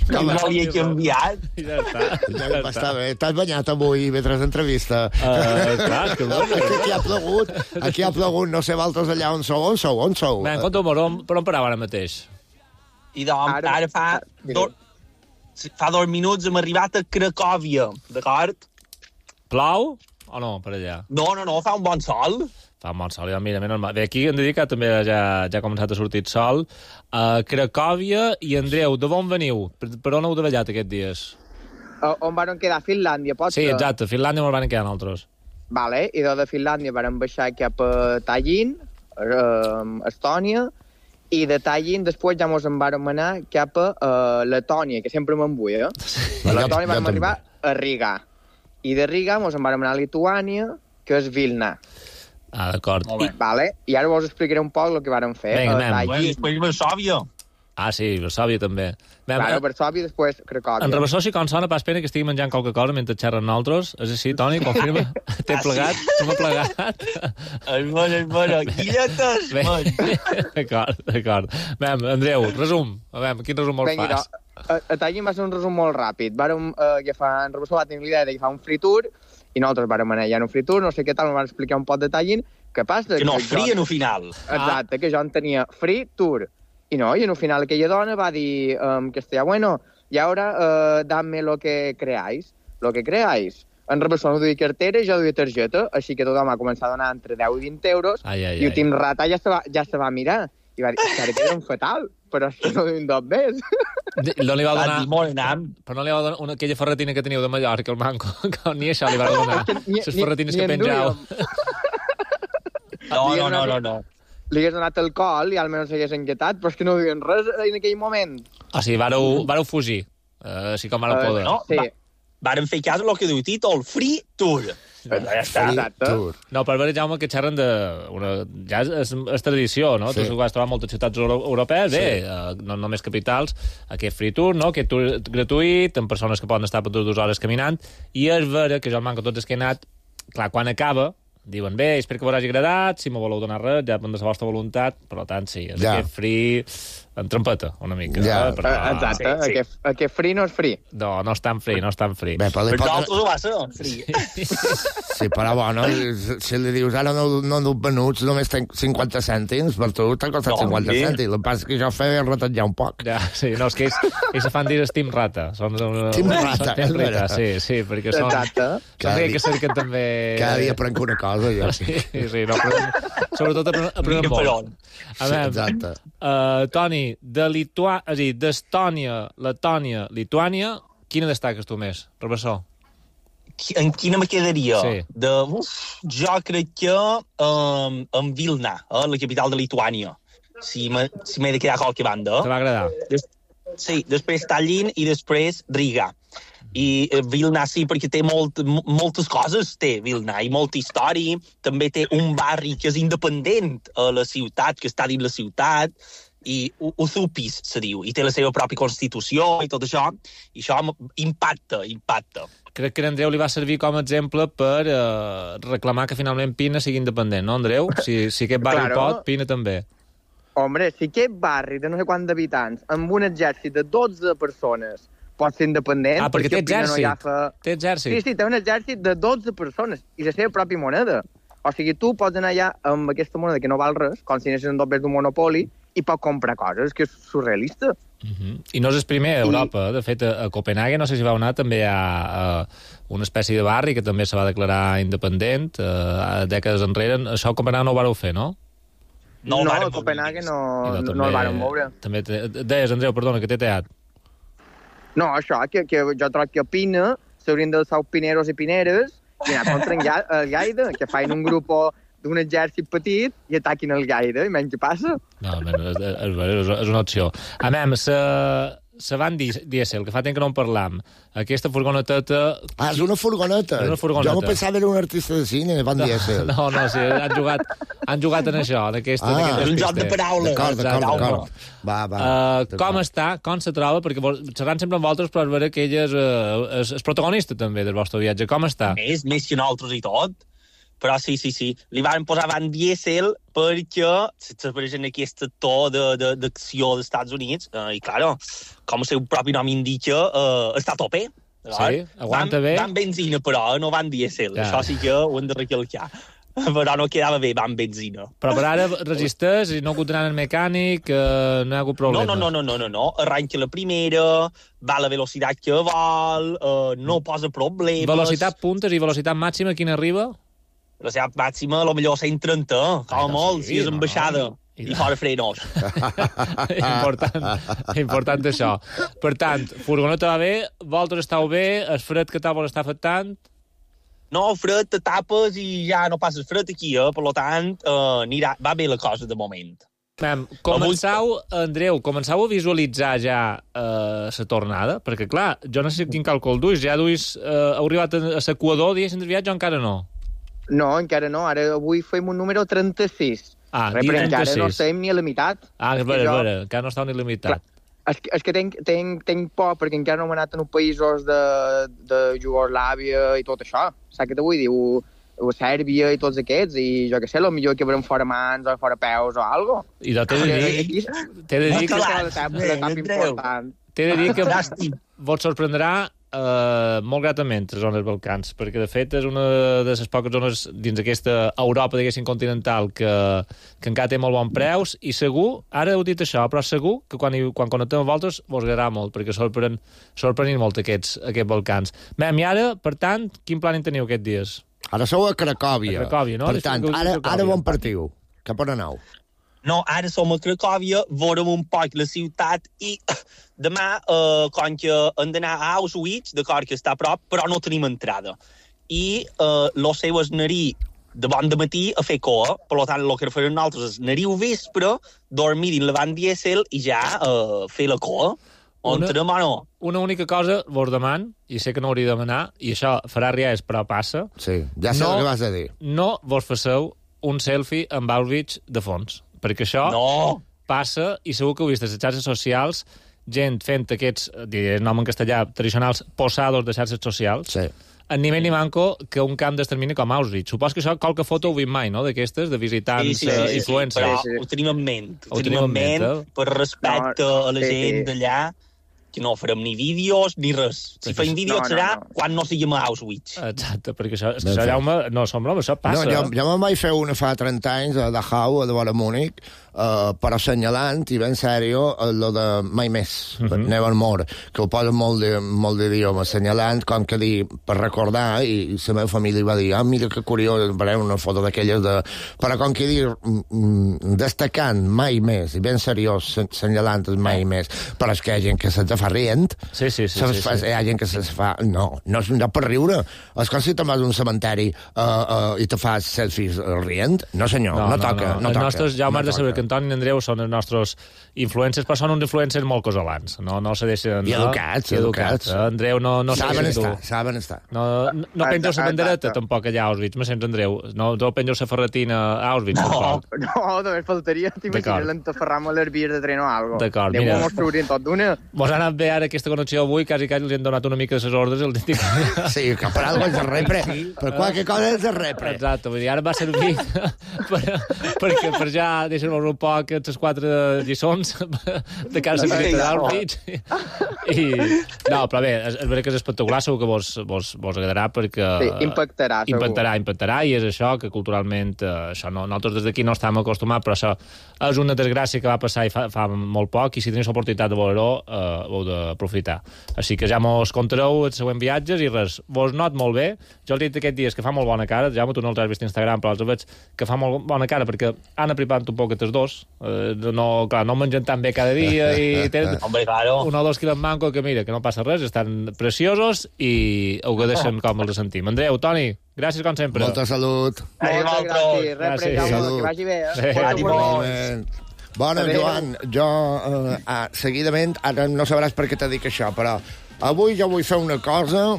Com no li he canviat. Ja està. Ja està bé. T'has banyat avui mentre entrevista? Uh, clar, és que No, bueno. perquè aquí ha plogut, aquí ha plogut, no sé vosaltres allà on sou, on sou, on sou? Ben, conta'm, per on, per on parava ara mateix? I doncs, Ara- ara fa, do, fa dos minuts hem arribat a Cracòvia, d'acord? Plou o no, per allà? No, no, no, fa un bon sol. Fa un bon sol, ja, mira, menys mal. Bé, aquí hem de dir que també ja, ja ha començat a sortir el sol. Uh, Cracòvia i Andreu, de on veniu? Per, per on heu davallat aquests dies? O- On van quedar? Finlàndia, pots? Sí, exacte, Finlàndia me'l van quedar nosaltres. Vale, i de Finlàndia van baixar cap a Tallinn, eh, Estònia, i de Tallinn després ja mos en vàrem anar cap a eh, Letònia, que sempre me'n vull, eh? A Letònia jo vam també. arribar a Riga. I de Riga mos en vàrem anar a Lituània, que és Vilna. Ah, d'acord. Molt bé. Vale? I ara vos explicaré un poc el que vàrem fer. Vinga, a anem. Bueno, Tallinn. després Varsòvia. Ah, sí, Varsòvia també. Bé, Claro, eh, Varsòvia, després Cracòvia. en Rabassó sí que em sona pas pena que estigui menjant qualque cosa mentre xerren nosaltres. És així, Toni, confirma? T'he Ah, sí? plegat? Tu m'ha plegat? És bueno, és bueno. Guilletes, Bé, man. d'acord, d'acord. Bé, Andreu, resum. A veure, quin resum vols Vinga, fas? no, a, a Tallinn va ser un resum molt ràpid. Vàrem eh, agafar, en Rabassó va tenir l'idea d'agafar un free tour i nosaltres vàrem anar allà en un free tour, no sé què tal, em van explicar un poc de Tallinn, que passa... Que no, jo- frien al final. Exacte, que jo en tenia free tour. I no, i en un final aquella dona va dir en castellà, bueno, y ahora uh, dame lo que creáis. Lo que creáis. En Rabassó no duia cartera i jo duia targeta, així que tothom va començar a donar entre deu i vint euros, Ai, ai, i el ai. Tim Rata ja se va, ja se va mirar. I va dir, que que eren fatal, però és que no duim dos més. No li va Va donar... dir, molt anam. Però no li va donar una, aquella ferretina que teniu de Mallorca, el manco, que ni això li va donar. Ni- Les ni- ferretines ni que en penjau. duíem. No, no, no, no, no. li hagués donat alcohol i almenys s'hagués enquietat, però és que no diuen res en aquell moment. O sigui, vareu, vareu fugir, uh, així com vareu Eh, poder. No, Sí. va, varen fer cas del que diu títol, Free Tour. Ja està. Exacte. No, per veure, Jaume, que xerren de... Una, ja és, és tradició, no? Sí. Tu vas trobar moltes ciutats euro europees, bé, uh, no només capitals, aquest free tour, no? Aquest tour gratuït, amb persones que poden estar per dues hores caminant, i és vera que jo el manco tots els que he anat, clar, quan acaba, diuen, bé, espero que vos hagi agradat, si me voleu donar res, ja depèn de la vostra voluntat, per tant, sí, és Ja. aquest free en trompeta, una mica. Ja. eh? Però, Eh, Exacte, sí, sí. Aquest, aquest free no és free. No, no és tan free, no és tan free. Bé, però li Per pot... nosaltres ho va ser, Free. Sí, però bueno, si li dius ara no, no duc venuts, només tenc cinquanta cèntims, per tu t'ha costat No, cinquanta sí. cèntims. El que passa és que jo feia retallar un poc. Ja, sí, no, és que ells, ells se fan dir Steam Rata. Són, una, Team Rata, són Team és Rata, vera. sí, sí, perquè són... Exacte. Són Cada dia dia- que cerquen també... Cada dia aprenc una cosa, jo. Sí, sí, no, però, sobretot aprenem, aprenem Mica per molt. on. A Sí, veure, exacte. uh, Toni, de Litua... És a dir, d'Estònia, Letònia, Lituània, quina destaques tu més, Rebassó? En quina me quedaria? Sí. De, uf, jo crec que um, en Vilna, eh, la capital de Lituània. Si m'he si m'he de quedar a qualque banda. Te va agradar? Des, sí, després Tallinn i després Riga. I eh, Vilna sí, perquè té molt, m- moltes coses, té Vilna, i molta història. També té un barri que és independent a la ciutat, que està dins la ciutat, i U- Uzupis se diu, i té la seva pròpia constitució i tot això, i això m- impacta, impacta. Crec que a Andreu li va servir com a exemple per uh, reclamar que finalment Pina sigui independent, no, Andreu? Si, si aquest barri Claro. pot, Pina també. Hombre, si aquest barri de no sé quants d'habitants, amb un exèrcit de dotze persones, pot ser independent... Ah, perquè té Pina no exèrcit. agafa- Té exèrcit. Sí, sí, té un exèrcit de dotze persones i la seva pròpia moneda. O sigui, tu pots anar allà amb aquesta moneda que no val res, com si anessis en dobbers d'un monopoli, i pots comprar coses, que és surrealista. Uh -huh. I no és el primer a Europa. De fet, a, a Copenhague, no sé si vau anar, també hi ha uh, una espècie de barri que també se va declarar independent uh, dècades enrere. Això a Copenhague no ho vareu fer, no? No, no varen a Copenhague no, I no, no el varen moure. També te, deies, Andreu, perdona, que t'he teat. No, això, que, que jo trobo que a Pina s'haurien d'alçar els pineros i pineres i anar contra en Ga- el Gaida, que fan un grup d'un exèrcit petit i ataquin el Gaida, i menys què passa. No, men, és, és, és, és una opció. A mem, se, se van dièsel, que fa temps que no en parlam. Aquesta furgoneteta... Ah, és una furgoneta. És una furgoneta. Jo m'ho pensava era un artista de cine, Van Diesel. No, no, sí, han jugat, han jugat en això, en aquesta, Ah, en aquest és un joc de despiste. paraules. D'acord, d'acord, Exacte. d'acord. Va, va. Uh, com està, com se troba, perquè vos, xerrant sempre amb vosaltres, però és vera que ella és, uh, és, és protagonista també del vostre viatge. Com està? Més, més que nosaltres i tot. Però sí, sí, sí. Li van posar Van Diesel perquè s'apareix en aquest actor de- de- d'acció dels Estats Units. Uh, I, clar, com el seu propi nom indica, uh, està a tope. Sí, aguanta van, bé. Van benzina, però, no van dièsel. Ja. Això sí que ho hem de recalcar. Però no quedava bé, van benzina. Però per ara resisteix i no ha hagut d'anar al mecànic, uh, no hi ha hagut No, problemes. no, no, no, no, no, no. Arranca la primera, va a la velocitat que vol, uh, no posa problemes. Velocitat puntes i velocitat màxima, quina arriba? La velocitat màxima, a lo millor cent trenta, com a no, molt, sí, si és no, ambaixada. no. I fora frenos. important, important això. Per tant, furgoneta va bé, vosaltres estàu bé, el fred que tal vos està afectant? No, fred, te tapes i ja no passes fred aquí, eh? Per lo tant, uh, anirà, va bé la cosa de moment. Mem, començau, Andreu, començau a visualitzar ja la uh, tornada? Perquè, clar, jo no sé quin càlcul duis. Ja duis, uh, heu arribat a, a l'equador, diguéssim, del viatge, o encara no? No, encara no. Ara avui fem un número trenta-sis. Ah, Res, però encara trenta-sis. no estem ni a la meitat. Ah, és que vera, és jo- vera, encara no estàu ni limitat. És que, és que tenc, tenc, tenc por perquè encara no hem anat en uns països de, de Jugoslàvia i tot això. Saps què te vull dir? O, o Sèrbia i tots aquests, i jo què sé, potser que veurem fora mans o fora peus o algo. I t'he de dir, t'he de dir que... L'etapa important. T'he de dir que vos sorprendrà uh, molt gratament les zones Balcans, perquè de fet és una de les poques zones dins aquesta Europa, diguéssim, continental que, que encara té molt bon preus, i segur, ara heu dit això, però segur que quan, hi, quan connectem amb vosaltres vos agradarà molt, perquè sorprenen, sorprenen molt aquests, aquests Balcans. Mem, i ara, per tant, quin plan en teniu aquests dies? Ara sou a Cracòvia. A Cracòvia, no? Per tant, ara, ara on partiu? Cap on aneu? No, ara som a Cracòvia, veurem un poc la ciutat i demà, eh, com que hem d'anar a Auschwitz, d'acord, que està a prop, però no tenim entrada. I eh, lo seu és anar-hi de bon de matí a fer coa. Per tant, el que farem nosaltres és anar-hi al vespre, dormir dins la van dièsel i ja uh, fer la coa. On Una- tenem o no? Una única cosa vos deman, i sé que no hauria de demanar, i això farà ries, però passa. Sí, ja sé No. el que vas a dir. No vos faceu un selfie amb Auschwitz de fons, perquè això No. passa, i segur que heu vist a les xarxes socials, gent fent aquests, diré el nom en castellà, tradicionals posados de xarxes socials, Sí. en nivell ni manco que un camp d'extermini com Auschwitz. Supos que això qualque foto ho vist mai, no?, d'aquestes, de visitants, Sí, sí, sí, eh, sí, influencers. però Sí, sí. ho tenim en ment. Ho, Ho tenim en ment, eh? per respecte No, a la sí, gent sí. d'allà, que no farem ni vídeos ni res. Si Perquè- fem vídeos No, no, serà no. quan no siguem a Auschwitz. Exacte, perquè això, és que Ben això fet. Jaume, no som broma, això passa. No, jo, jo me'n vaig fer una fa trenta anys a Dachau, a de vora Múnich, uh, però assenyalant, i ben sèrio, el de mai més, uh -huh. Never More, que ho posa molt de- molt d'idioma, assenyalant, com que dir, per recordar, i, i la meva família va dir, ah, mira que curiós, veurem una foto d'aquelles de... Però com que dir, mm, mm, destacant mai més, i ben seriós, assenyalant el mai més, però és que hi ha gent que se't fa rient, Sí, sí, sí. Se sí, fa, sí. Hi ha gent que se fa... No, no és un lloc per riure. És com si te'n vas a un cementeri uh, uh, i te fas selfies uh, rient. No, senyor, no, no, toca. No, els toca, nostres, ja ho no m'has de saber, toca. que Antoni i Andreu són els nostres influencers, però són uns influencers molt casolans. No, no se deixen... I no? educats, I educats. Eh? Andreu, no, no Saben segueixes tu. estar, saben estar. No, no, no pengeu la bandereta, tampoc, allà a Auschwitz. Me sents, Andreu? No, no pengeu la ferretina a Auschwitz, tampoc. No, només faltaria, t'imagines D'acord. l'entaferram a les vies de tren o algo. D'acord, Déu, mira. mos traurien tot d'una. Mos ha anat bé ara aquesta connexió avui, quasi quasi els hem donat una mica de les ordres. El dic... Sí, que per alguna cosa és repre. Per qualque cosa és repre. Exacte, vull dir, ara va servir per, per, per ja deixar-nos un poc les quatre lliçons de cara a la visita d'Auschwitz. I, no, però bé, és, és veritat que és espectacular, segur que vos, vos, vos agradarà perquè... Sí, impactarà, segur. Impactarà, impactarà, i és això que culturalment, eh, això no, nosaltres des d'aquí no estem acostumats, però això és una desgràcia que va passar i fa, fa molt poc, i si teniu l'oportunitat de veure-ho, eh, ho heu d'aprofitar. Així que ja mos contareu els següents viatges i res, vos not molt bé. Jo els he dit aquests dies que fa molt bona cara, ja tu no els has vist a Instagram, però els veig que fa molt bona cara perquè han apripat un poc els dos, eh, no, clar, no mengen tan bé cada dia i tenen Hombre, claro. un o dos quilos manco que mira, que no passa res, estan preciosos i ho deixen com els sentim. Andreu, Toni, gràcies com sempre. Molta salut. Moltes gràcies. Repre, Gràcies. Jaume, Salut. que vagi bé, eh? Sí. Moltes Ànimo. gràcies. Bona, Adéu. Joan, jo, eh, ah, seguidament, ara no sabràs per què t'he dit això, però avui jo vull fer una cosa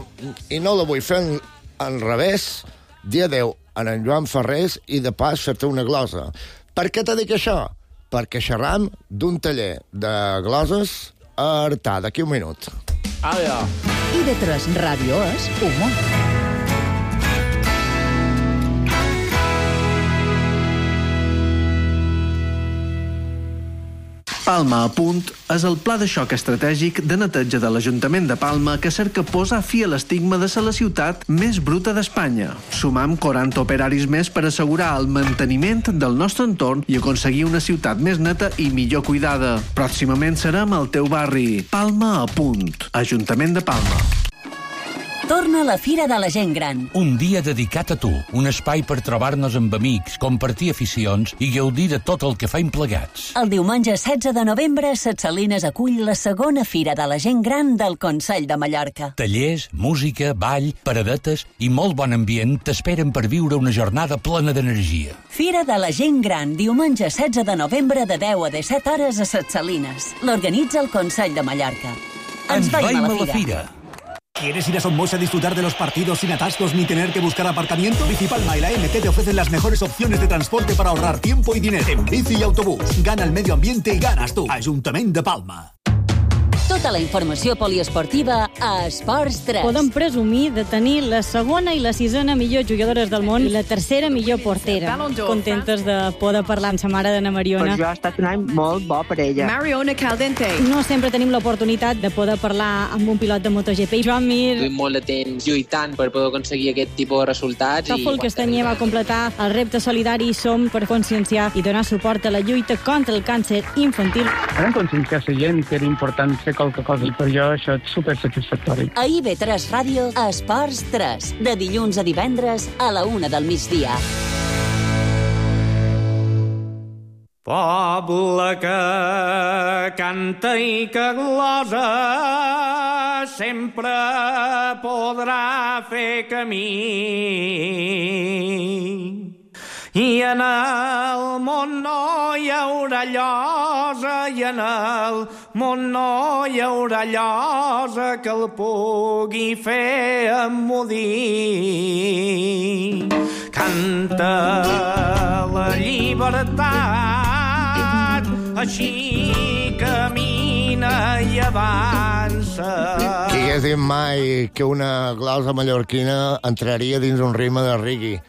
i no la vull fer en, en revés, dir adéu a en Joan Ferrés i de pas fer-te una glosa. Per què t'he dit això? Perquè xerram d'un taller de gloses a Artà, d'aquí un minut. Adéu. I de tres Ràdio és humor. Palma a punt és el pla de xoc estratègic de neteja de l'Ajuntament de Palma que cerca posar fi a l'estigma de ser la ciutat més bruta d'Espanya. Sumam quaranta operaris més per assegurar el manteniment del nostre entorn i aconseguir una ciutat més neta i millor cuidada. Pròximament serem al teu barri. Palma a punt. Ajuntament de Palma. Torna la Fira de la Gent Gran. Un dia dedicat a tu, un espai per trobar-nos amb amics, compartir aficions i gaudir de tot el que faim plegats. El diumenge setze de novembre, Ses Salines acull la segona Fira de la Gent Gran del Consell de Mallorca. Tallers, música, ball, paradetes i molt bon ambient t'esperen per viure una jornada plena d'energia. Fira de la Gent Gran, diumenge setze de novembre de deu a disset hores a Ses Salines. L'organitza el Consell de Mallorca. Ens veiem a la Fira. ¿Quieres ir a Somos a disfrutar de los partidos sin atascos ni tener que buscar aparcamiento? Bici Palma y la M T te ofrecen las mejores opciones de transporte para ahorrar tiempo y dinero. En bici y autobús. Gana el medio ambiente y ganas tú. Ayuntamiento de Palma. Tota la informació poliesportiva a Esports tres. Podem presumir de tenir la segona i la sisena millor jugadores del món i la tercera millor portera. Contentes de poder parlar amb sa mare d'Anna Mariona. Per jo ha estat un any molt bo per ella. Mariona Caldente. No sempre tenim l'oportunitat de poder parlar amb un pilot de MotoGP. Joan Mir. Duim molt de temps lluitant per poder aconseguir aquest tipus de resultats. Tòfol Castanyer va completar el repte solidari Som per conscienciar i donar suport a la lluita contra el càncer infantil. Vam conscienciar la gent que era important fer qualque cosa i per jo això és supersatisfactori. A I V tres Ràdio, a Esports tres, de dilluns a divendres a la una del migdia. Poble que canta i que glosa sempre podrà fer camí. I en el món no hi haurà llosa, i en el món no hi haurà llosa que el pugui fer emmudir. Canta la llibertat, així camina i avança. Qui hagués dit mai que una glosa mallorquina entraria dins un ritme de reggae?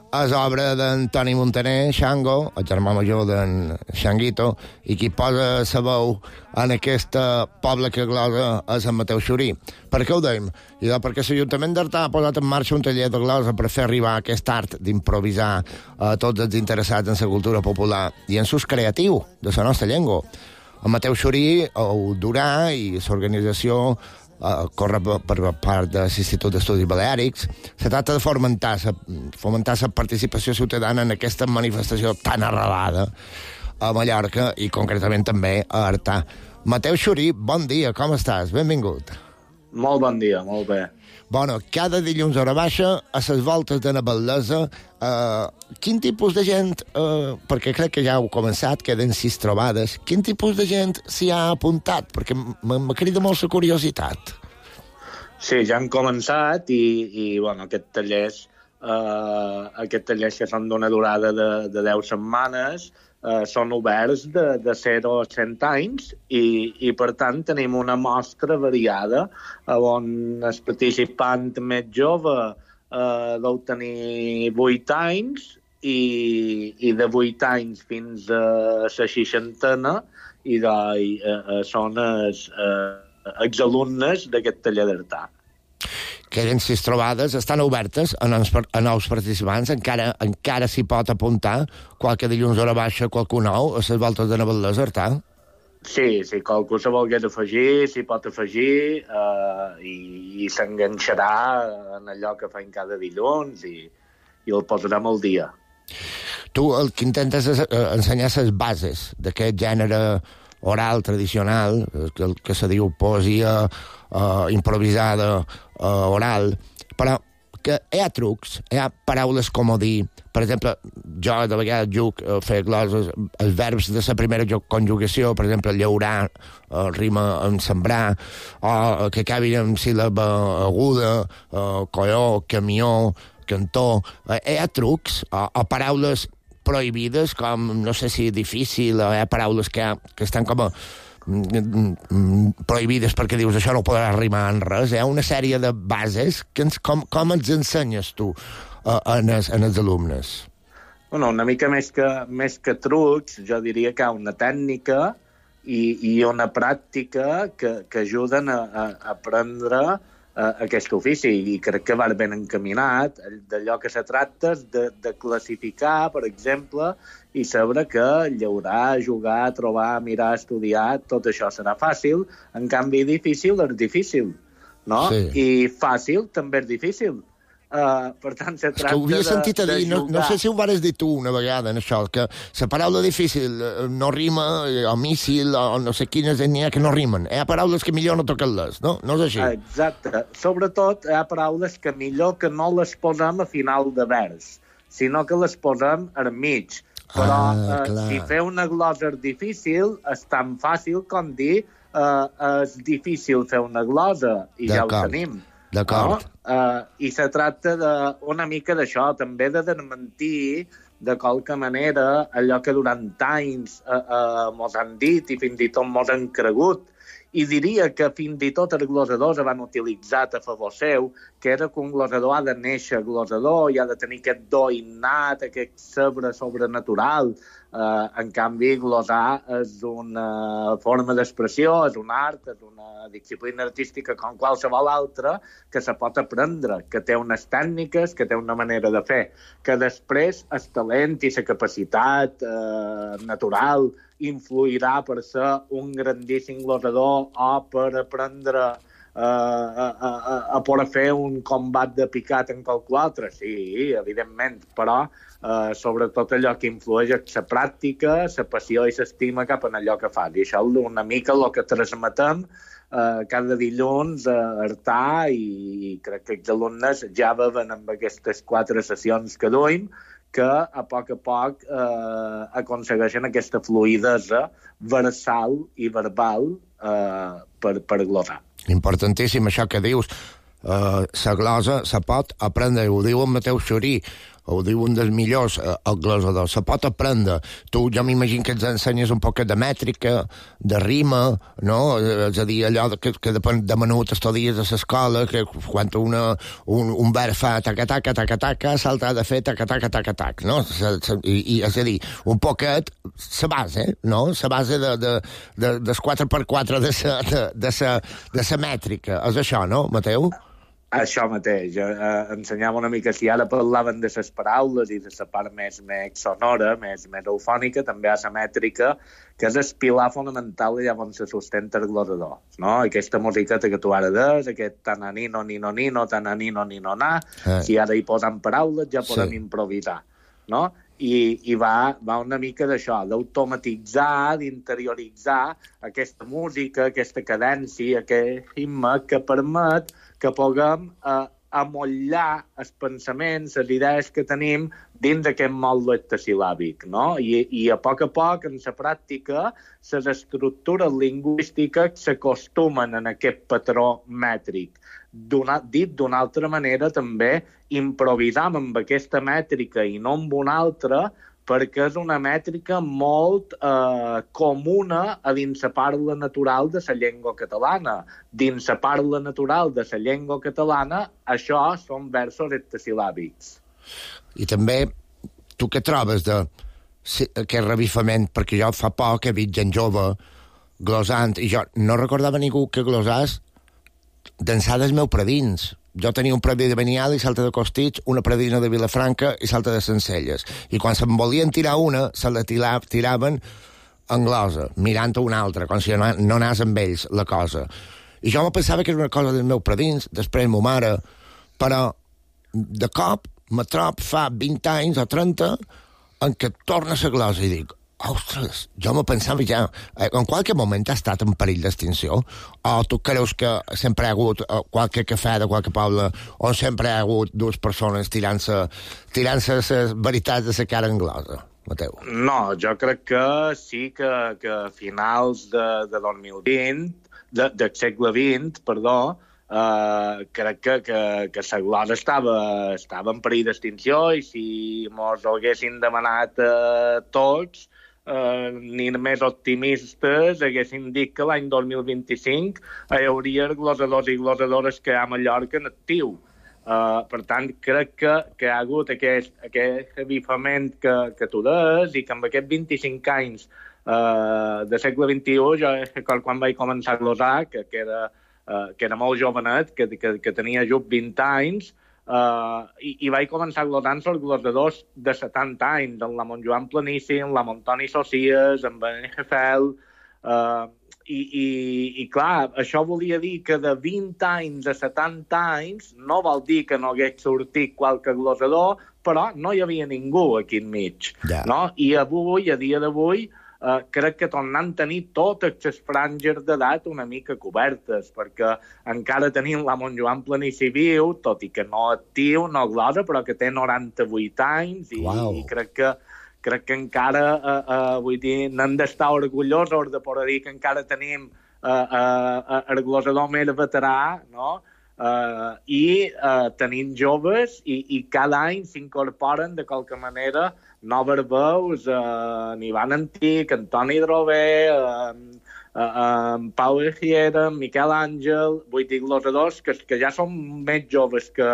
És obra d'en Toni Montaner, Xango, el germà major d'en Xanguito, i qui posa sa veu en aquest poble que glosa és en Mateu Xurí. Per què ho dèiem? I perquè l'Ajuntament d'Artà ha posat en marxa un taller de glosa per fer arribar aquest art d'improvisar a tots els interessats en la cultura popular i en l'ús creatiu de la nostra llengua. En Mateu Xurí ho durà i l'organització Uh, corre per, per part de l'Institut d'Estudis Baleàrics. Se tracta de fomentar la fomentar la participació ciutadana en aquesta manifestació tan arrelada a Mallorca i concretament també a Artà. Mateu Xurí, bon dia, com estàs? Benvingut. Molt bon dia, molt bé. Bueno, cada dilluns hora baixa, a les voltes de Navaldesa, uh, quin tipus de gent, uh, perquè crec que ja heu començat, queden sis trobades, quin tipus de gent s'hi ha apuntat? Perquè m'ha cridat molt la curiositat. Sí, ja han començat i, i bueno, aquest tallers, uh, aquest tallers que són d'una durada de, de deu setmanes, Uh, són oberts de, de zero a cent anys i, i, per tant, tenim una mostra variada on el participant més jove uh, deu tenir vuit anys i, i de vuit anys fins a la seixantena i de, uh, són els uh, exalumnes d'aquest taller d'Artà. Queden sis trobades, estan obertes a nous, a nous participants, encara encara s'hi pot apuntar qualque dilluns hora baixa, qualcú nou, a les voltes de Navaldesa, Artà? Sí, si qualcú se volgués afegir, s'hi pot afegir eh, i, i s'enganxarà en allò que fan cada dilluns i, i el posarem al dia. Tu el que intentes és ensenyar les bases d'aquest gènere oral tradicional, el que se diu poesia uh, improvisada uh, oral, però que hi ha trucs, hi ha paraules com dir, per exemple, jo de vegades juc a fer gloses, els verbs de la primera conjugació, per exemple, llaurar, uh, rima amb sembrar, o que acabin amb síl·laba aguda, uh, colló, camió, cantó, uh, hi ha trucs o, o paraules prohibides, com, no sé si difícil, hi ha paraules que, que estan com a prohibides perquè dius això no podrà rimar en res. Hi ha una sèrie de bases que ens, com, com ens ensenyes tu uh, en, els, en els alumnes? Bueno, una mica més que, més que trucs, jo diria que hi ha una tècnica i, i una pràctica que, que ajuden a, a aprendre aquest ofici, i crec que va ben encaminat. D'allò que se tracta és de, de classificar, per exemple, i saber que llaurar, jugar, trobar, mirar, estudiar, tot això serà fàcil, en canvi difícil és difícil, no? Sí. I fàcil també és difícil. Uh, per tant, se tracta de, ho havia sentit a dir, de no, no sé si ho vares dir tu una vegada en això, que la paraula difícil no rima, o míssil, o no sé quines n'hi ha que no rimen. Hi ha paraules que millor no toquen-les, no? No és així? Exacte. Sobretot hi ha paraules que millor que no les posem a final de vers, sinó que les posem al mig. Però ah, uh, si fer una glosa és difícil, és tan fàcil com dir uh, és difícil fer una glosa, i ja ho tenim. D'acord. No? Uh, I se tracta de, una mica d'això, també de desmentir de qualque manera allò que durant anys uh, uh, mos han dit i fins i tot mos han cregut. I diria que fins i tot els glosadors van utilitzat a favor seu, que era que un glosador ha de néixer glosador i ha de tenir aquest do innat, aquest sabre sobrenatural. Uh, en canvi, glosar és una forma d'expressió, és un art, és una disciplina artística com qualsevol altra que se pot aprendre, que té unes tècniques, que té una manera de fer, que després el talent i la capacitat uh, natural influirà per ser un grandíssim glosador o per aprendre Uh, a, a, a poder fer un combat de picat en qualque altre, sí, evidentment, però uh, sobretot allò que influeix és la pràctica, la passió i l'estima cap en allò que fas. I això és una mica el que transmetem eh, cada dilluns a Artà i crec que els alumnes ja veuen amb aquestes quatre sessions que duim que a poc a poc eh, aconsegueixen aquesta fluïdesa versal i verbal eh, per, per glosar. Importantíssim això que dius. Uh, la glosa se pot aprendre, ho diu en Mateu Xurí, ho diu un dels millors, uh, el glosador, se pot aprendre. Tu, jo m'imagino que ens ensenyes un poc de mètrica, de rima, no? És a dir, allò que, que depèn de menut estudies a l'escola, que quan una, un, un verb fa taca-taca, taca-taca, s'altre ha de fer taca-taca-taca-tac, no? Se, se, i, i, és a dir, un poquet, la base, no? La base de, de, de, des quatre per quatre de la de, de sa, de sa mètrica. És això, no, Mateu? Això mateix, eh, ensenyava una mica, si ara parlaven de les paraules i de la part més, més sonora, més, més eufònica, també hi ha la mètrica, que és el pilar fonamental allà on se sustenta el glosador, no? Aquesta musiqueta que tu ara des, aquest tananino, nino, nino, tananino, nino, na, eh. si ara hi posem paraules ja podem sí. improvisar, no? I, i va, va una mica d'això, d'automatitzar, d'interioritzar aquesta música, aquesta cadència, aquest ritme que permet que puguem eh, amollar els pensaments, les idees que tenim dins d'aquest mòdul hectasilàbic, no? I, I a poc a poc, en la pràctica, les estructures lingüístiques s'acostumen en aquest patró mètric. D'una, dit d'una altra manera, també improvisam amb aquesta mètrica i no amb una altra, perquè és una mètrica molt eh, comuna a dins la parla natural de la llengua catalana. Dins la parla natural de la llengua catalana, això són versos hectasilàbics. I també, tu què trobes d'aquest revifament? Perquè jo fa poc he vist gent jove glosant, i jo no recordava ningú que glosàs d'ençà dels meus predins. Jo tenia un predí de Benial i salta de Costits, una predina de Vilafranca i salta de Sencelles. I quan se'n volien tirar una, se la tira, tiraven en glosa, mirant a una altra, com si no, no anés amb ells la cosa. I jo me pensava que era una cosa dels meus predins, després ma mare, però de cop me trob fa vint anys o trenta en què torna la glosa i dic, ostres, jo me pensava ja, en qualque moment ha estat en perill d'extinció? O tu creus que sempre hi ha hagut qualque cafè de qualque poble on sempre hi ha hagut dues persones tirant-se tirant-se les veritats de la cara anglosa, Mateu? No, jo crec que sí que, que a finals de, de dos mil vint, de, del segle vint, perdó, Uh, crec que, que, que la glosa estava, estava en perill d'extinció i si mos ho haguessin demanat uh, tots, uh, ni més optimistes haguessin dit que l'any dos mil vint-i-cinc hi hauria glosadors i glosadores que hi ha a Mallorca en actiu. Uh, per tant, crec que, que hi ha hagut aquest, aquest avifament que, que tu des i que amb aquests vint-i-cinc anys uh, de segle vint-i-u, jo quan vaig començar a glosar, que, que era Uh, que era molt jovenet, que, que, que tenia just vint anys, uh, i, i vaig començar glosant els glosadors de setanta anys, en la Montjoan Planici, en la Montoni Socies, en Benet Hefel, uh, i, i, i clar, això volia dir que de vint anys a setanta anys no vol dir que no hagués sortit qualque glosador, però no hi havia ningú aquí enmig. Yeah. No? I avui, a dia d'avui, Uh, crec que tornant a tenir totes les franges d'edat una mica cobertes, perquè encara tenim la Montjoan Planici viu, tot i que no actiu, no glosa, però que té noranta-vuit anys, i, wow. i crec que crec que encara, uh, uh, vull dir, n'hem d'estar orgullosos de poder dir que encara tenim uh, uh, el glosador més veterà, no? Uh, i uh, tenim joves i, i cada any s'incorporen de qualque manera noves veus, uh, en Ivan Antic, Antoni Drové, uh, uh, uh, Pau Ejiera, Miquel Àngel, vull dir, glosadors que, que ja són més joves que,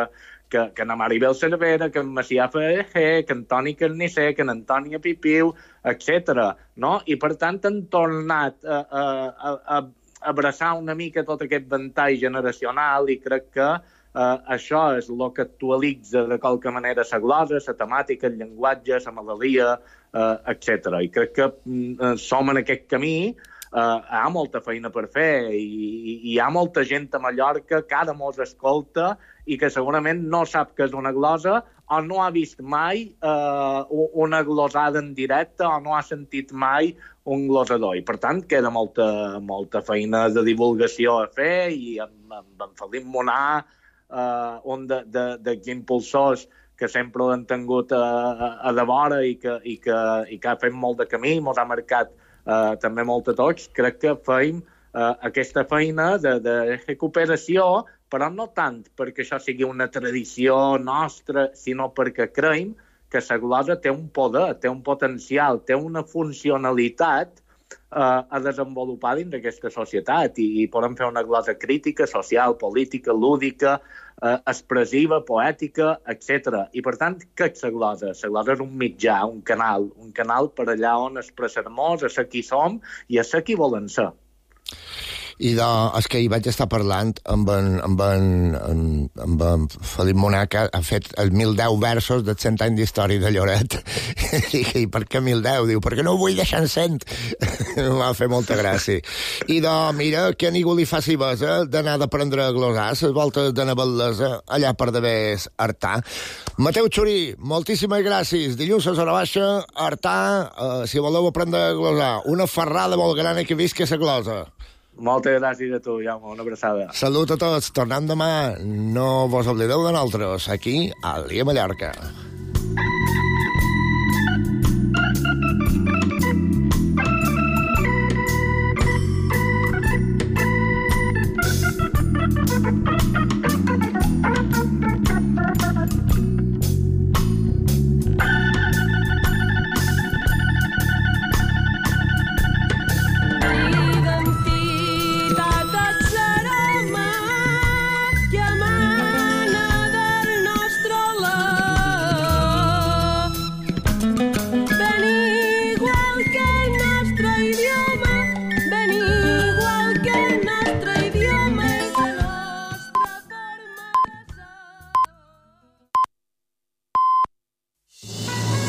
que, que en Maribel Cervera, que en Macià Ferrer, que en Toni Carnisser, que en Antònia Pipiu, etcètera. No? I per tant han tornat a, a, a, a abraçar una mica tot aquest ventall generacional i crec que eh, això és el que actualitza de qualque manera la glosa, la temàtica, el llenguatge, la melodia, eh, etcètera. I crec que eh, som en aquest camí Uh, hi ha molta feina per fer i, i hi ha molta gent a Mallorca que ara mos escolta i que segurament no sap què és una glosa o no ha vist mai uh, una glosada en directe o no ha sentit mai un glosador. I, per tant, queda molta, molta feina de divulgació a fer i amb, amb en Felip Monar, uh, un dels impulsors que sempre l'han tingut a, a, a de vora i que, i, que, i que ha fet molt de camí, mos ha marcat Uh, també molt a tots, crec que feim uh, aquesta feina de, de recuperació, però no tant perquè això sigui una tradició nostra, sinó perquè creiem que la glosa té un poder, té un potencial, té una funcionalitat uh, a desenvolupar dins d'aquesta societat i, i podem fer una glosa crítica, social, política, lúdica, uh, expressiva, poètica, etcètera. I, per tant, què és la glosa? La glosa és un mitjà, un canal, un canal per allà on expressar-nos, a ser qui som i a ser qui volen ser. I de, és que hi vaig estar parlant amb en, amb en, amb, amb en Felip Monar, que ha fet els mil deu versos dels cent anys d'història de Lloret. I, I per què mil deu? Diu, perquè no ho vull deixar en cent. M'ha fet molta gràcia. I de, mira, que a ningú li faci besa d'anar d'aprendre a glosar les voltes de Navallesa, allà per devers Artà. Mateu Xurí, moltíssimes gràcies. Dilluns a Zona Baixa, Artà, eh, si voleu aprendre a glosar. Una ferrada molt gran que visca la glosa. Moltes gràcies a tu, Jaume, una abraçada. Salut a tots, tornem demà. No vos oblideu de nosaltres, aquí, a l'Ia Mallorca.